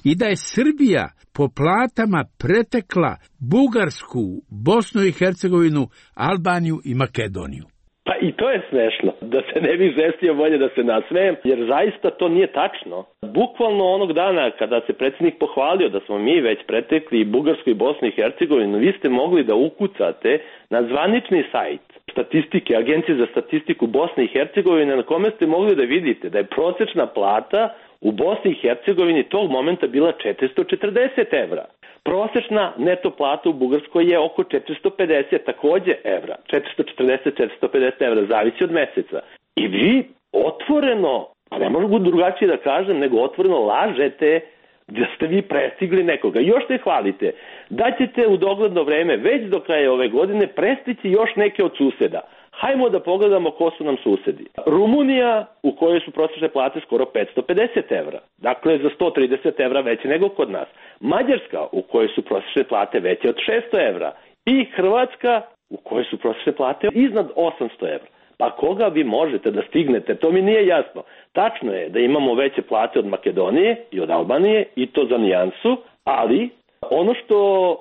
i da je Srbija po platama pretekla Bugarsku, Bosnu i Hercegovinu, Albaniju i Makedoniju. Pa i to je smešno, da se ne bi žestio bolje da se nasmejem, jer zaista to nije tačno. Bukvalno onog dana kada se predsjednik pohvalio da smo mi već pretekli Bugarsku i Bosnu i Hercegovinu, vi ste mogli da ukucate na zvanični sajt statistike, Agencije za statistiku Bosne i Hercegovine, na kome ste mogli da vidite da je prosječna plata u Bosni i Hercegovini tog momenta bila 440 evra. Prosječna neto plata u Bugarskoj je oko 450 takođe evra. 440-450 evra, zavisi od meseca. I vi otvoreno, pa ne mogu drugačije da kažem, nego otvoreno lažete da ste vi prestigli nekoga. Još se hvalite da ćete u dogledno vreme, već do kraja ove godine, prestići još neke od suseda. Hajmo da pogledamo ko su nam susedi. Rumunija, u kojoj su prosječne plate skoro 550 evra. Dakle, za 130 evra veće nego kod nas. Mađarska, u kojoj su prosječne plate veće od 600 evra. I Hrvatska, u kojoj su prosječne plate iznad 800 evra. Pa koga vi možete da stignete? To mi nije jasno. Tačno je da imamo veće plate od Makedonije i od Albanije, i to za nijansu, ali ono što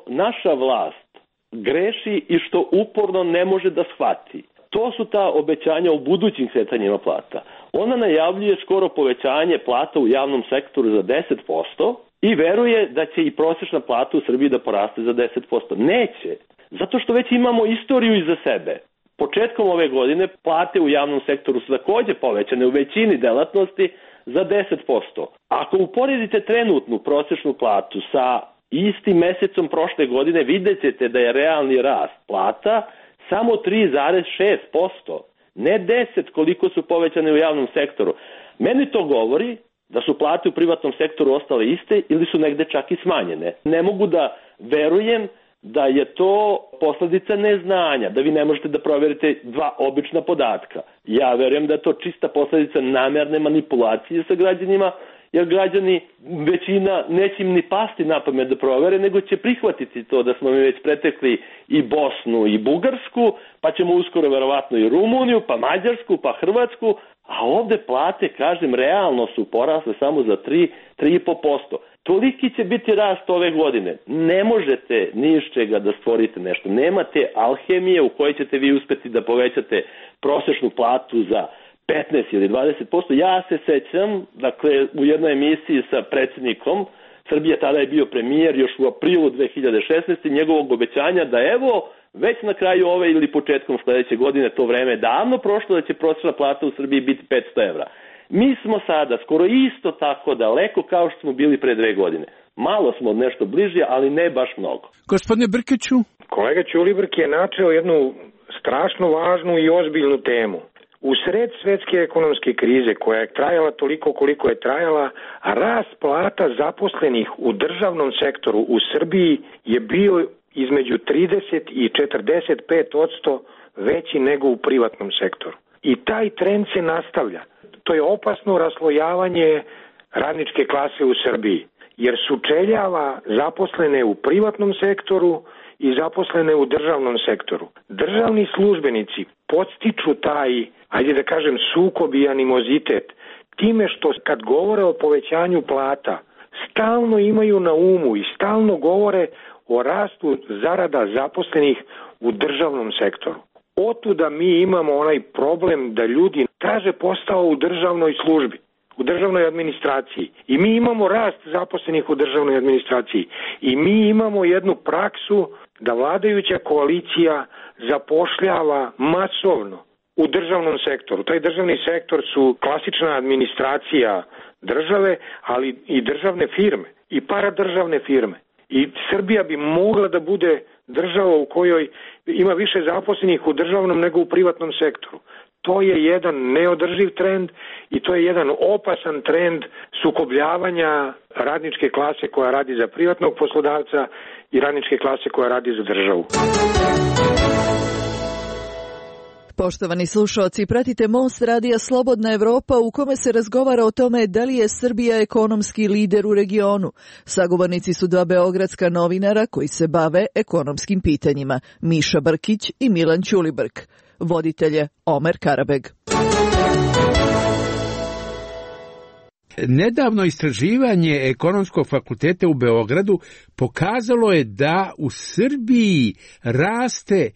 naša vlast greši i što uporno ne može da shvati, to su ta obećanja u budućim kretanjima plata. Ona najavljuje skoro povećanje plata u javnom sektoru za 10% i veruje da će i prosječna plata u Srbiji da poraste za 10%. Neće, zato što već imamo istoriju iza sebe. Početkom ove godine plate u javnom sektoru su takođe povećane u većini delatnosti za 10%. Ako uporedite trenutnu prosječnu platu sa istim mesecom prošle godine, vidjet ćete da je realni rast plata samo 3,6%, ne 10% koliko su povećane u javnom sektoru. Meni to govori da su plate u privatnom sektoru ostale iste ili su negde čak i smanjene. Ne mogu da verujem da je to posledica neznanja, da vi ne možete da proverite dva obična podatka. Ja verujem da je to čista posledica namerne manipulacije sa građanima, jer građani, većina, neće im ni pasti na pamet da provere, nego će prihvatiti to da smo mi već pretekli i Bosnu i Bugarsku, pa ćemo uskoro verovatno i Rumuniju, pa Mađarsku, pa Hrvatsku, a ovde plate, kažem, realno su porasle samo za 3,5%. Toliki će biti rast ove godine. Ne možete ni iz čega da stvorite nešto. Nemate alhemije u kojoj ćete vi uspeti da povećate prosječnu platu za 15 ili 20%. Ja se sećam, dakle, u jednoj emisiji sa predsjednikom Srbije, tada je bio premijer još u aprilu 2016. njegovog obećanja da evo, već na kraju ove ili početkom sledeće godine, to vreme je davno prošlo, da će prosječna plata u Srbiji biti 500 evra. Mi smo sada skoro isto tako daleko kao što smo bili pre 2 godine. Malo smo od nešto bliži, ali ne baš mnogo. Gospodine Brkiću? Kolega Ćulibrk je načeo jednu strašno važnu i ozbiljnu temu. U sred svetske ekonomske krize koja je trajala toliko koliko je trajala, a rast plata zaposlenih u državnom sektoru u Srbiji je bio između 30 i 45% veći nego u privatnom sektoru. I taj trend se nastavlja. To je opasno raslojavanje radničke klase u Srbiji, jer sučeljava zaposlene u privatnom sektoru i zaposlene u državnom sektoru. Državni službenici podstiču taj, ajde da kažem, sukob i animozitet time što kad govore o povećanju plata, stalno imaju na umu i stalno govore o rastu zarada zaposlenih u državnom sektoru. Otuda mi imamo onaj problem da ljudi traže posao u državnoj službi. u državnoj administraciji i mi imamo rast zaposlenih u državnoj administraciji i mi imamo jednu praksu da vladajuća koalicija zapošljava masovno u državnom sektoru. Taj državni sektor su klasična administracija države, ali i državne firme i paradržavne firme. I Srbija bi mogla da bude država u kojoj ima više zaposlenih u državnom nego u privatnom sektoru. To je jedan neodrživ trend i to je jedan opasan trend sukobljavanja radničke klase koja radi za privatnog poslodavca i radničke klase koja radi za državu. Poštovani slušalci, pratite Most radija Slobodna Evropa u kome se razgovara o tome da li je Srbija ekonomski lider u regionu. Sagovornici su dva beogradska novinara koji se bave ekonomskim pitanjima, Miša Brkić i Milan Ćulibrk. Voditelj je Omer Karabeg. Nedavno istraživanje Ekonomskog fakulteta u Beogradu pokazalo je da u Srbiji raste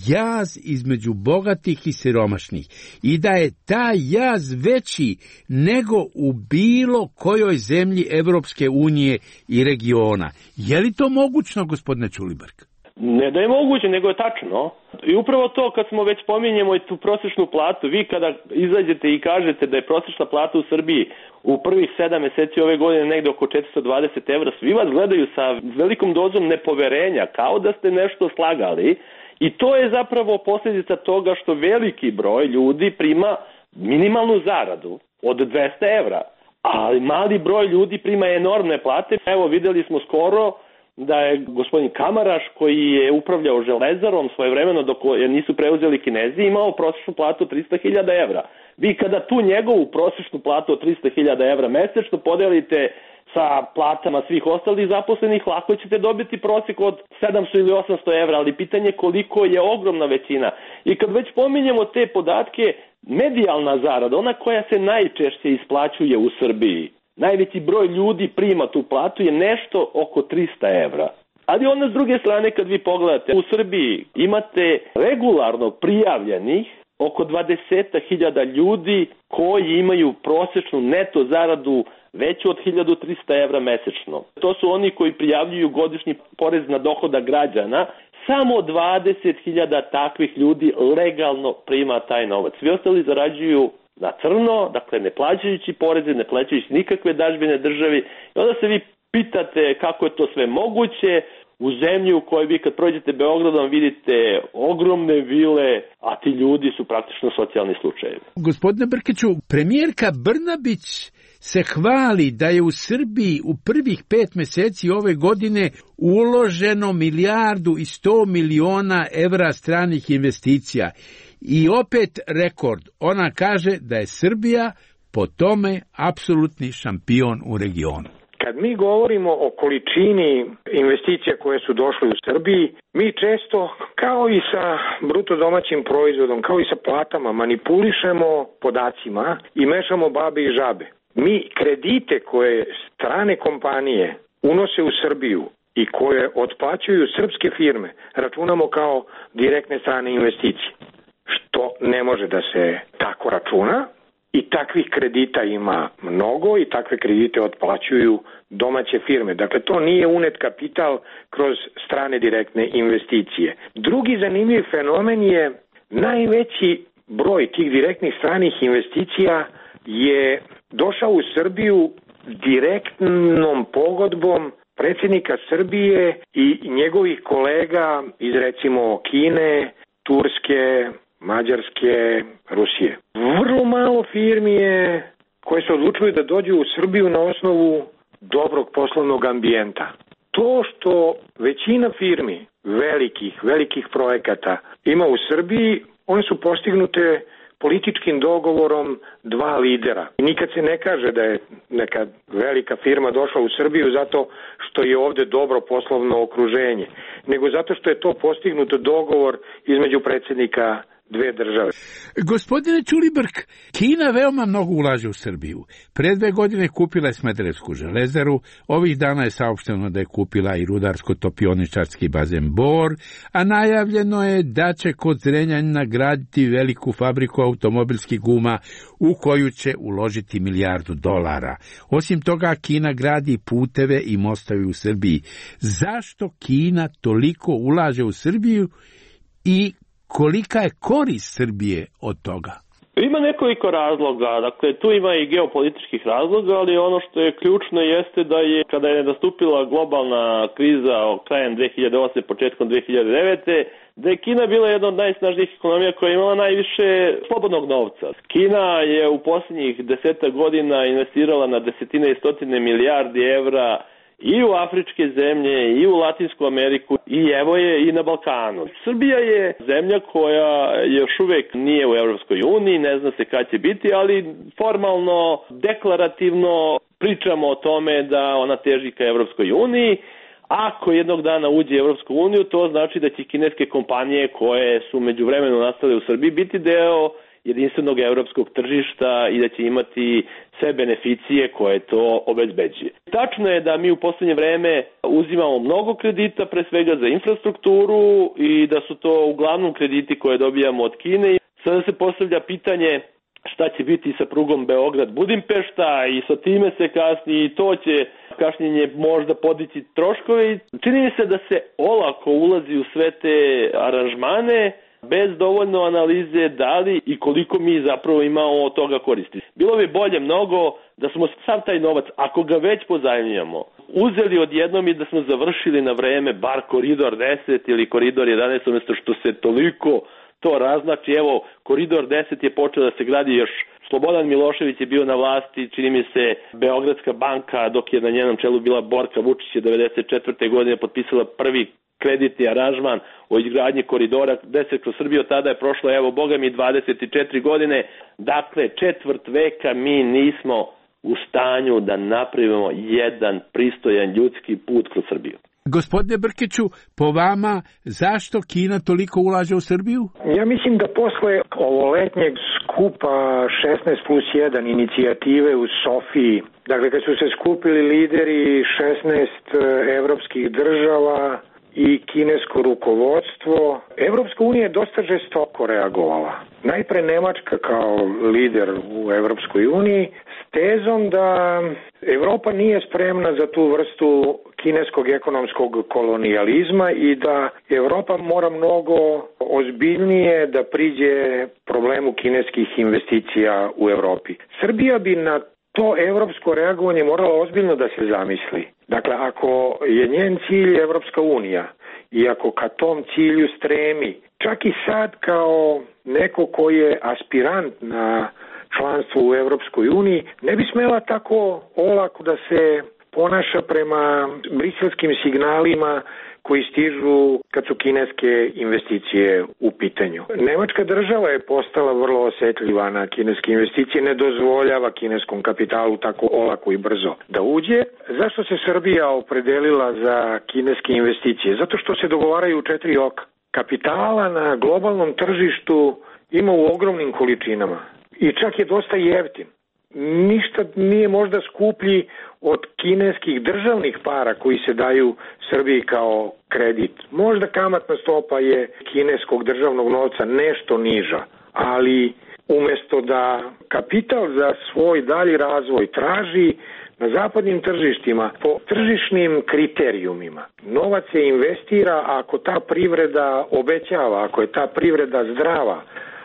jaz između bogatih i siromašnih i da je taj jaz veći nego u bilo kojoj zemlji Evropske unije i regiona. Je li to mogućno, gospodine Ćulibrk? Ne da je moguće, nego je tačno. I upravo to, kad smo već pominjemo i tu prosječnu platu, vi kada izađete i kažete da je prosječna plata u Srbiji u prvih 7 meseci ove godine negde oko 420 evra, svi vas gledaju sa velikom dozom nepoverenja, kao da ste nešto slagali. I to je zapravo posljedica toga što veliki broj ljudi prima minimalnu zaradu od 200 evra, ali mali broj ljudi prima enormne plate. Evo, videli smo skoro da je gospodin Kamaraš, koji je upravljao Železarom svojevremeno dok je nisu preuzeli Kinezi, imao prosječnu platu 300.000 evra. Vi kada tu njegovu prosječnu platu od 300.000 evra mesečno podelite sa platama svih ostalih zaposlenih, lako ćete dobiti prosjek od 700 ili 800 evra, ali pitanje koliko je ogromna većina. I kad već pominjemo te podatke, medijalna zarada, ona koja se najčešće isplaćuje u Srbiji, najveći broj ljudi prima tu platu, je nešto oko 300 evra. Ali onda s druge strane, kad vi pogledate, u Srbiji imate regularno prijavljenih oko 20.000 ljudi koji imaju prosječnu neto zaradu veću od 1.300 evra mesečno. To su oni koji prijavljuju godišnji porez na dohodak građana. Samo 20.000 takvih ljudi legalno prima taj novac. Svi ostali zarađuju na crno, dakle ne plaćajući poreze, ne plaćajući nikakve dažbine državi. I onda se vi pitate kako je to sve moguće u zemlji u kojoj vi kad prođete Beogradom vidite ogromne vile, a ti ljudi su praktično socijalni slučajevi. Gospodine Brkiću, premijerka Brnabić se hvali da je u Srbiji u prvih 5 meseci ove godine uloženo 1.100.000.000 evra stranih investicija. I opet rekord, ona kaže da je Srbija po tome apsolutni šampion u regionu. Kad mi govorimo o količini investicija koje su došle u Srbiji, mi često, kao i sa bruto domaćim proizvodom, kao i sa platama, manipulišemo podacima i mešamo babe i žabe. Mi kredite koje strane kompanije unose u Srbiju i koje otplaćuju srpske firme računamo kao direktne strane investicije, što ne može da se tako računa. I takvih kredita ima mnogo i takve kredite otplaćuju domaće firme. Dakle, to nije unet kapital kroz strane direktne investicije. Drugi zanimljiv fenomen je najveći broj tih direktnih stranih investicija je došao u Srbiju direktnom pogodbom predsjednika Srbije i njegovih kolega iz recimo Kine, Turske, Mađarske, Rusije. Vrlo malo firmi je koje se odlučuju da dođu u Srbiju na osnovu dobrog poslovnog ambijenta. To što većina firmi velikih projekata ima u Srbiji, one su postignute političkim dogovorom dva lidera. I nikad se ne kaže da je neka velika firma došla u Srbiju zato što je ovde dobro poslovno okruženje, nego zato što je to postignuto dogovor između predsjednika dve države. Gospodine Ćulibrk, Kina veoma mnogo ulaže u Srbiju. Pre 2 godine kupila je Smederevsku železaru, ovih dana je saopšteno da je kupila i rudarsko-topioničarski bazen Bor, a najavljeno je da će kod Zrenjanina graditi veliku fabriku automobilskih guma u koju će uložiti $1 milijardu. Osim toga, Kina gradi puteve i mostove u Srbiji. Zašto Kina toliko ulaže u Srbiju i kolika je korist Srbije od toga? Ima nekoliko razloga, dakle tu ima i geopolitičkih razloga, ali ono što je ključno jeste da je kada je nastupila globalna kriza krajem 2008. početkom 2009. da je Kina bila jedna od najsnažnijih ekonomija koja je imala najviše slobodnog novca. Kina je u posljednjih 10 godina investirala na desetine i stotine milijardi evra i u afričke zemlje, i u Latinsku Ameriku, i evo je i na Balkanu. Srbija je zemlja koja još uvek nije u Evropskoj uniji, ne zna se kad će biti, ali formalno, deklarativno pričamo o tome da ona teži ka Evropskoj uniji. Ako jednog dana uđe u Evropsku uniju, to znači da će kineske kompanije koje su međuvremeno nastale u Srbiji biti deo jedinstvenog evropskog tržišta i da će imati sve beneficije koje to obezbeđuje. Tačno je da mi u poslednje vreme uzimamo mnogo kredita, pre svega za infrastrukturu, i da su to uglavnom krediti koje dobijamo od Kine. Sada se postavlja pitanje šta će biti sa prugom Beograd-Budimpešta i sa time se kasni i to će kašnjenje možda podići troškove. Čini mi se da se olako ulazi u sve te aranžmane bez dovoljno analize da li i koliko mi zapravo imamo od toga koristi. Bilo bi bolje mnogo da smo sav taj novac, ako ga već pozajmljamo, uzeli odjednom i da smo završili na vreme bar koridor 10 ili koridor 11, umjesto što se toliko to raznači. Evo, koridor 10 je počeo da se gradi još Slobodan Milošević je bio na vlasti, čini mi se Beogradska banka, dok je na njenom čelu bila Borka Vučić, je 1994. godine potpisala prvi kreditni aranžman o izgradnji koridora 10 kroz Srbiju. Tada je prošlo, evo, boga mi, 24 godine. Dakle, četvrt veka mi nismo u stanju da napravimo jedan pristojan ljudski put kroz Srbiju. Gospodine Brkiću, po vama, zašto Kina toliko ulaže u Srbiju? Ja mislim da posle ovoletnjeg skupa 16+1 inicijative u Sofiji, dakle kad su se skupili lideri 16 evropskih država i kinesko rukovodstvo, Evropska unija je dosta žestoko reagovala. Najpre Nemačka kao lider u Evropskoj uniji s tezom da Evropa nije spremna za tu vrstu kineskog ekonomskog kolonijalizma i da Evropa mora mnogo ozbiljnije da priđe problemu kineskih investicija u Evropi. Srbija bi na to evropsko reagovanje moralo ozbiljno da se zamisli. Dakle, ako je njen cilj Evropska unija i ako ka tom cilju stremi, čak i sad kao neko koji je aspirant na članstvo u Evropskoj uniji, ne bi smela tako olako da se ponaša prema briselskim signalima koji stižu kad su kineske investicije u pitanju. Nemačka država je postala vrlo osetljiva na kineske investicije, ne dozvoljava kineskom kapitalu tako olako i brzo da uđe. Zašto se Srbija opredelila za kineske investicije? Zato što se dogovaraju u 4 oka. Kapitala na globalnom tržištu ima u ogromnim količinama i čak je dosta jeftin. Ništa nije možda skuplji od kineskih državnih para koji se daju Srbiji kao kredit. Možda kamatna stopa je kineskog državnog novca nešto niža, ali umjesto da kapital za svoj dalji razvoj traži na zapadnim tržištima po tržišnim kriterijumima, novac se investira ako ta privreda obećava, ako je ta privreda zdrava,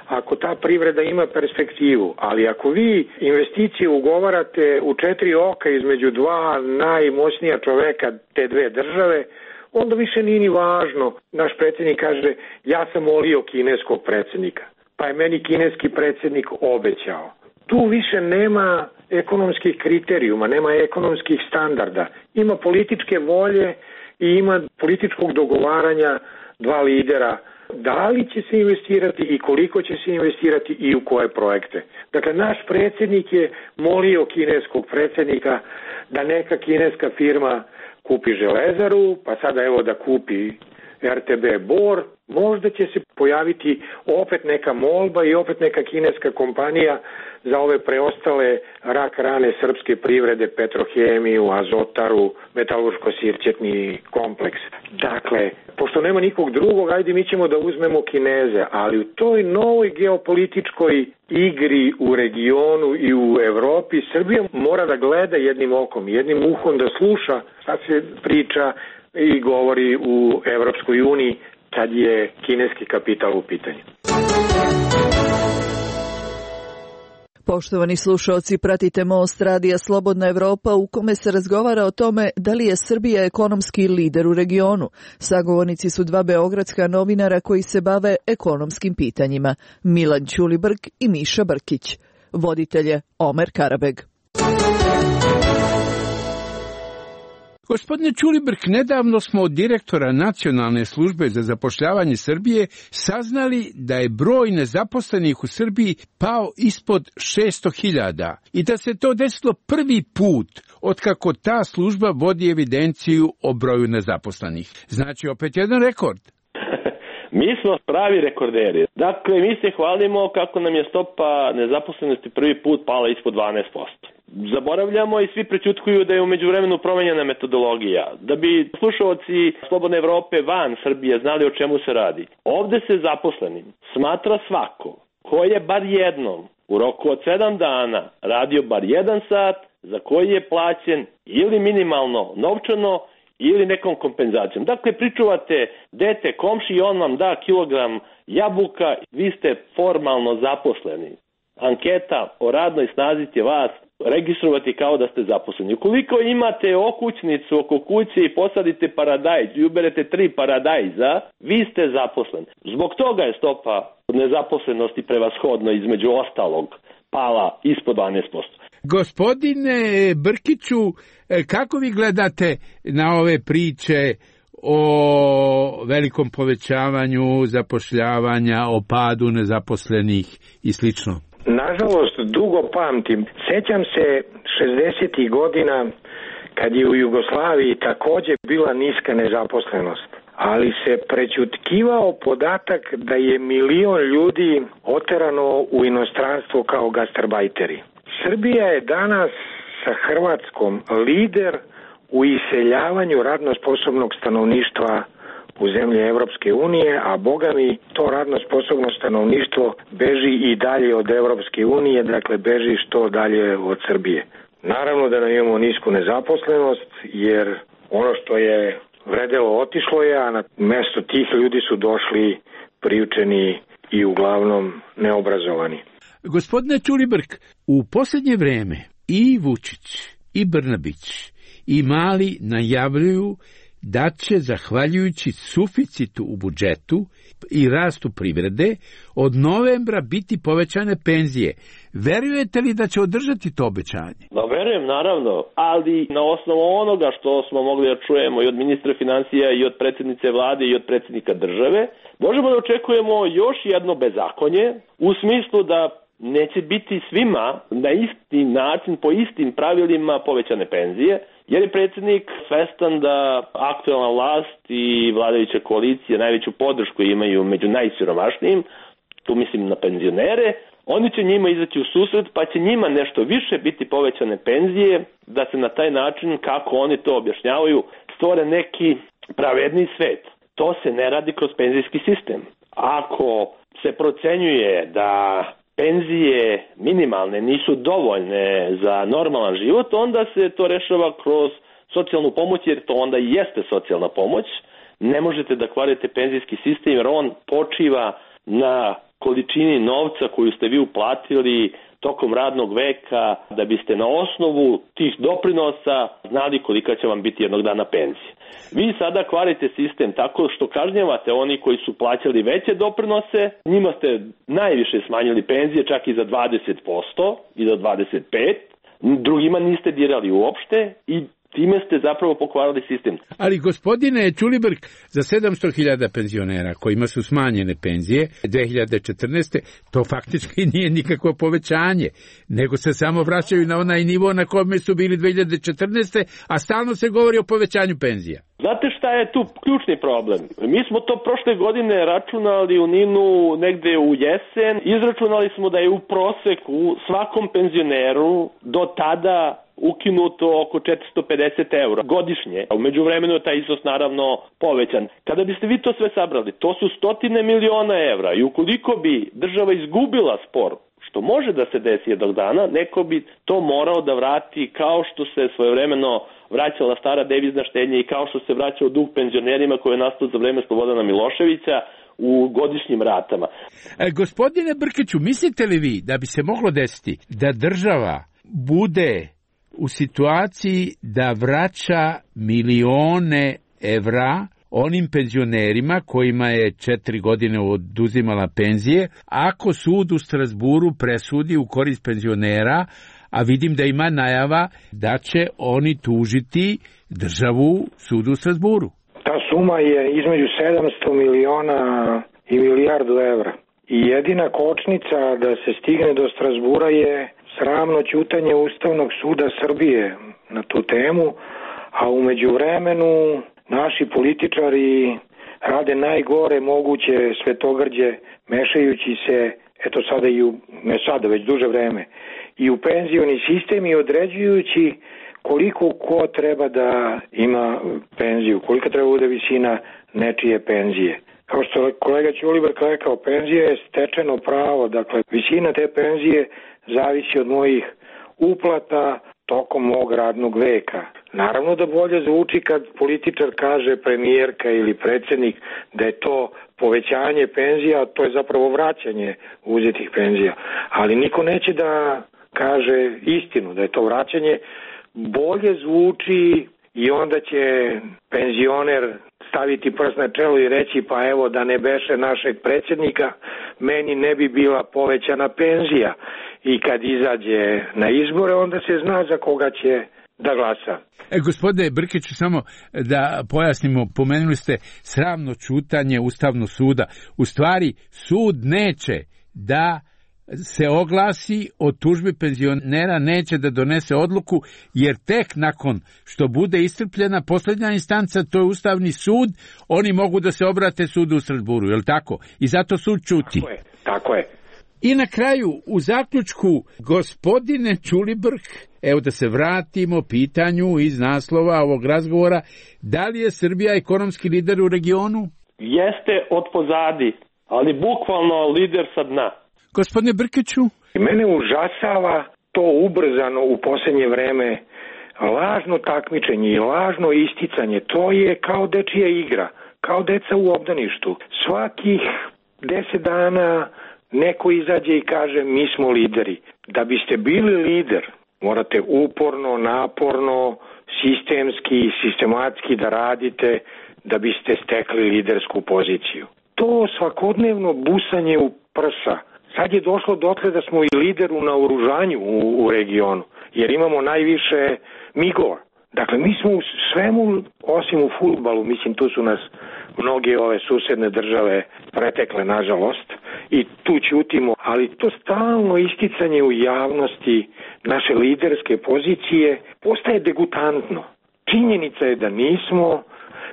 ako ta privreda ima perspektivu, ali ako vi investicije ugovarate u 4 oka između dva najmoćnija čoveka te dve države, onda više nije ni važno. Naš predsjednik kaže, ja sam molio kineskog predsjednika, pa je meni kineski predsjednik obećao. Tu više nema ekonomskih kriterijuma, nema ekonomskih standarda. Ima političke volje i ima političkog dogovaranja dva lidera. Da li će se investirati i koliko će se investirati i u koje projekte. Dakle, naš predsjednik je molio kineskog predsjednika da neka kineska firma kupi železaru, pa sada evo da kupi RTB Bor. Možda će se pojaviti opet neka molba i opet neka kineska kompanija za ove preostale rak rane srpske privrede, Petrohemiju, Azotaru, metalurško-sirćetni kompleks. Dakle, pošto nema nikog drugog, ajde mi ćemo da uzmemo Kineze, ali u toj novoj geopolitičkoj igri u regionu i u Evropi Srbija mora da gleda jednim okom, jednim uhom, da sluša šta se priča i govori u Evropskoj uniji kad je kineski kapital u pitanju. Poštovani slušalci, pratite Most radija Slobodna Evropa u kome se razgovara o tome da li je Srbija ekonomski lider u regionu. Sagovornici su dva beogradska novinara koji se bave ekonomskim pitanjima, Milan Ćulibrk i Miša Brkić. Voditelj je Omer Karabeg. Gospodine Ćulibrk, nedavno smo od direktora Nacionalne službe za zapošljavanje Srbije saznali da je broj nezaposlenih u Srbiji pao ispod 600.000 i da se to desilo prvi put otkako ta služba vodi evidenciju o broju nezaposlenih. Znači opet jedan rekord. Mi smo pravi rekorderi. Dakle, mi se hvalimo kako nam je stopa nezaposlenosti prvi put pala ispod 12%. Zaboravljamo i svi prećutkuju da je u međuvremenu promenjena metodologija. Da bi slušalci Slobodne Evrope van Srbije znali o čemu se radi. Ovde se zaposlenim smatra svako ko je bar jednom u roku od 7 dana radio bar 1 sat za koji je plaćen ili minimalno novčano ili nekom kompenzacijom. Dakle, pričuvate dete komši i on vam da kilogram jabuka, vi ste formalno zaposleni. Anketa o radnoj snazi će vas registrovati kao da ste zaposleni. Ukoliko imate okućnicu oko kuće i posadite paradajz i uberete 3 paradajza, vi ste zaposleni. Zbog toga je stopa nezaposlenosti prevashodno između ostalog pala ispod 12%. Gospodine Brkiću, kako vi gledate na ove priče o velikom povećavanju zapošljavanja, o padu nezaposlenih i slično? Nažalost, dugo pamtim. Sećam se 60. godina kad je u Jugoslaviji takođe bila niska nezaposlenost, ali se prećutkivao podatak da je 1 milion ljudi oterano u inostranstvo kao gastarbajteri. Srbija je danas sa Hrvatskom lider u iseljavanju radno sposobnog stanovništva u zemlje Evropske unije, a boga mi to radno sposobno stanovništvo beži i dalje od Evropske unije, dakle beži što dalje od Srbije. Naravno da nam imamo nisku nezaposlenost, jer ono što je vredelo otišlo je, a na mesto tih ljudi su došli priučeni i uglavnom neobrazovani. Gospodine Ćulibrk, u posljednje vreme i Vučić, i Brnabić, i Mali najavljuju da će, zahvaljujući suficitu u budžetu i rastu privrede, od novembra biti povećane penzije. Verujete li da će održati to obećanje? Da, verujem, naravno, ali na osnovu onoga što smo mogli da čujemo i od ministra financija i od predsjednice vlade i od predsjednika države, možemo da očekujemo još jedno bezakonje u smislu da neće biti svima na isti način, po istim pravilima povećane penzije, jer je predsjednik svestan da aktualna vlast i vladajuća koalicija najveću podršku imaju među najsiromašnijim, tu mislim na penzionere, oni će njima izaći u susret pa će njima nešto više biti povećane penzije, da se na taj način, kako oni to objašnjavaju, stvore neki pravedni svet. To se ne radi kroz penzijski sistem. Ako se procenjuje da penzije minimalne nisu dovoljne za normalan život, onda se to rešava kroz socijalnu pomoć, jer to onda i jeste socijalna pomoć. Ne možete da kvarite penzijski sistem, jer on počiva na količini novca koju ste vi uplatili tokom radnog veka, da biste na osnovu tih doprinosa znali kolika će vam biti jednog dana penzija. Vi sada kvarite sistem tako što kažnjavate oni koji su plaćali veće doprinose, njima ste najviše smanjili penzije, čak i za 20% i za 25%, drugima niste dirali uopšte i Time ste zapravo pokvarili sistem. Ali gospodine Ćulibrk, za 700.000 penzionera kojima su smanjene penzije 2014. to faktički nije nikakvo povećanje, nego se samo vraćaju na onaj nivo na kome su bili 2014. a stalno se govori o povećanju penzija. Znate šta je tu ključni problem? Mi smo to prošle godine računali u NIN-u negde u jesen. Izračunali smo da je u proseku svakom penzioneru do tada ukinuto oko 450 € godišnje. U međuvremenu je taj iznos naravno povećan. Kada biste vi to sve sabrali, to su stotine miliona evra i ukoliko bi država izgubila spor, što može da se desi jednog dana, neko bi to morao da vrati kao što se svojevremeno vraćala stara devizna štednja i kao što se vraćao dug penzionerima koji je nastao za vreme Slobodana Miloševića u godišnjim ratama. Gospodine Brkiću, mislite li vi da bi se moglo desiti da država bude u situaciji da vraća milione evra onim penzionerima kojima je 4 godine oduzimala penzije, ako sud u Strasburu presudi u korist penzionera, a vidim da ima najava da će oni tužiti državu sudu u Strasburu? Ta suma je između 700 miliona i milijardu evra. I jedina kočnica da se stigne do Strasbura je sramno ćutanje Ustavnog suda Srbije na tu temu, a u međuvremenu naši političari rade najgore moguće svetogrđe, mešajući se, eto sada i ne sada, već duže vreme, i u penzioni sistem i određujući koliko ko treba da ima penziju, kolika treba bude visina nečije penzije. Kao što je kolega Ćulibrk rekao, penzija je stečeno pravo, dakle visina te penzije zavisi od mojih uplata tokom mog radnog veka. Naravno da bolje zvuči kad političar kaže, premijerka ili predsjednik, da je to povećanje penzija, to je zapravo vraćanje uzetih penzija. Ali niko neće da kaže istinu, da je to vraćanje. Bolje zvuči i onda će penzioner staviti prst na čelo i reći, pa evo da ne beše našeg predsjednika, meni ne bi bila povećana penzija. I kad izađe na izbore, onda se zna za koga će da glasa. Gospodine Brkiću, samo da pojasnimo, pomenuli ste sramno ćutanje Ustavnog suda. U stvari, sud neće da se oglasi o tužbi penzionera, neće da donese odluku, jer tek nakon što bude iscrpljena posljednja instanca, to je Ustavni sud, oni mogu da se obrate sudu u Strasburu, je li tako? I zato sud ćuti. Tako je. I na kraju, u zaključku, gospodine Ćulibrk, evo da se vratimo pitanju iz naslova ovog razgovora, da li je Srbija ekonomski lider u regionu? Jeste od pozadi, ali bukvalno lider sa dna. Gospodine Brkiću? Mene užasava to ubrzano u posljednje vreme lažno takmičenje i lažno isticanje. To je kao dečija igra, kao deca u obdaništu. Svakih 10 dana neko izađe i kaže mi smo lideri. Da biste bili lider, morate uporno, naporno, sistemski, sistematski da radite da biste stekli lidersku poziciju. To svakodnevno busanje u prsa. Sad je došlo dotle da smo i lider u naoružanju u regionu, jer imamo najviše migova. Dakle, mi smo u svemu, osim u fudbalu, mislim tu su nas mnoge ove susedne države pretekle, nažalost, i tu ćutimo, ali to stalno isticanje u javnosti naše liderske pozicije postaje degutantno. Činjenica je da nismo,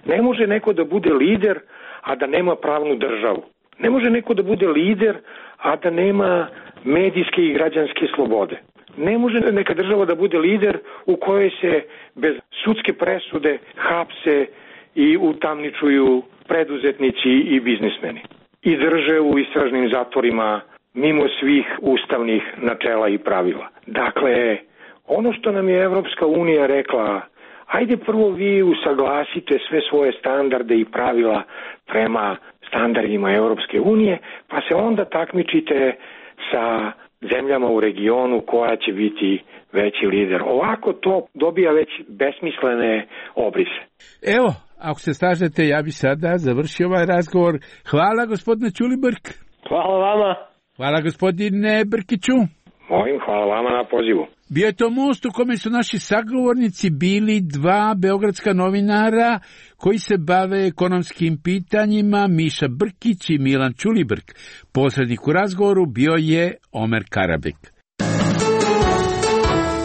ne može neko da bude lider, a da nema pravnu državu. Ne može neko da bude lider, a da nema medijske i građanske slobode. Ne može neka država da bude lider u kojoj se bez sudske presude hapse i utamničuju preduzetnici i biznismeni. I drže u istražnim zatvorima mimo svih ustavnih načela i pravila. Dakle, ono što nam je Evropska unija rekla, ajde prvo vi usaglasite sve svoje standarde i pravila prema standardima Europske unije, pa se onda takmičite sa zemljama u regionu koja će biti veći lider. Ovako to dobija već besmislene obrise. Evo, ako se slažete, ja bi sada završio ovaj razgovor. Hvala gospodine Ćulibrk. Hvala vama. Hvala gospodine Brkiću. Hvala vama na pozivu. Bio je to most u kome su naši sagovornici bili dva beogradska novinara koji se bave ekonomskim pitanjima, Miša Brkić i Milan Ćulibrk. Posrednik u razgovoru bio je Omer Karabek.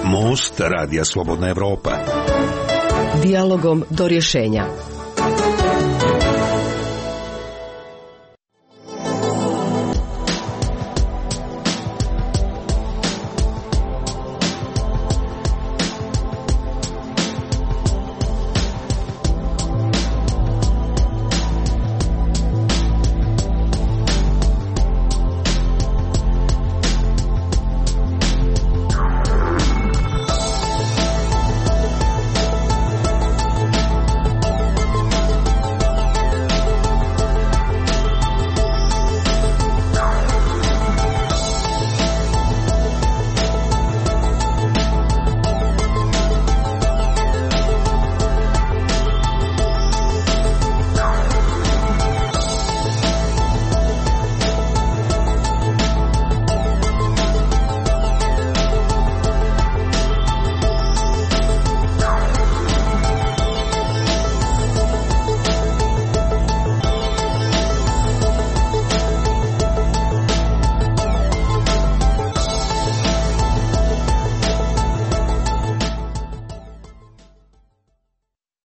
Most Radija Slobodna Evropa. Dijalogom do rješenja.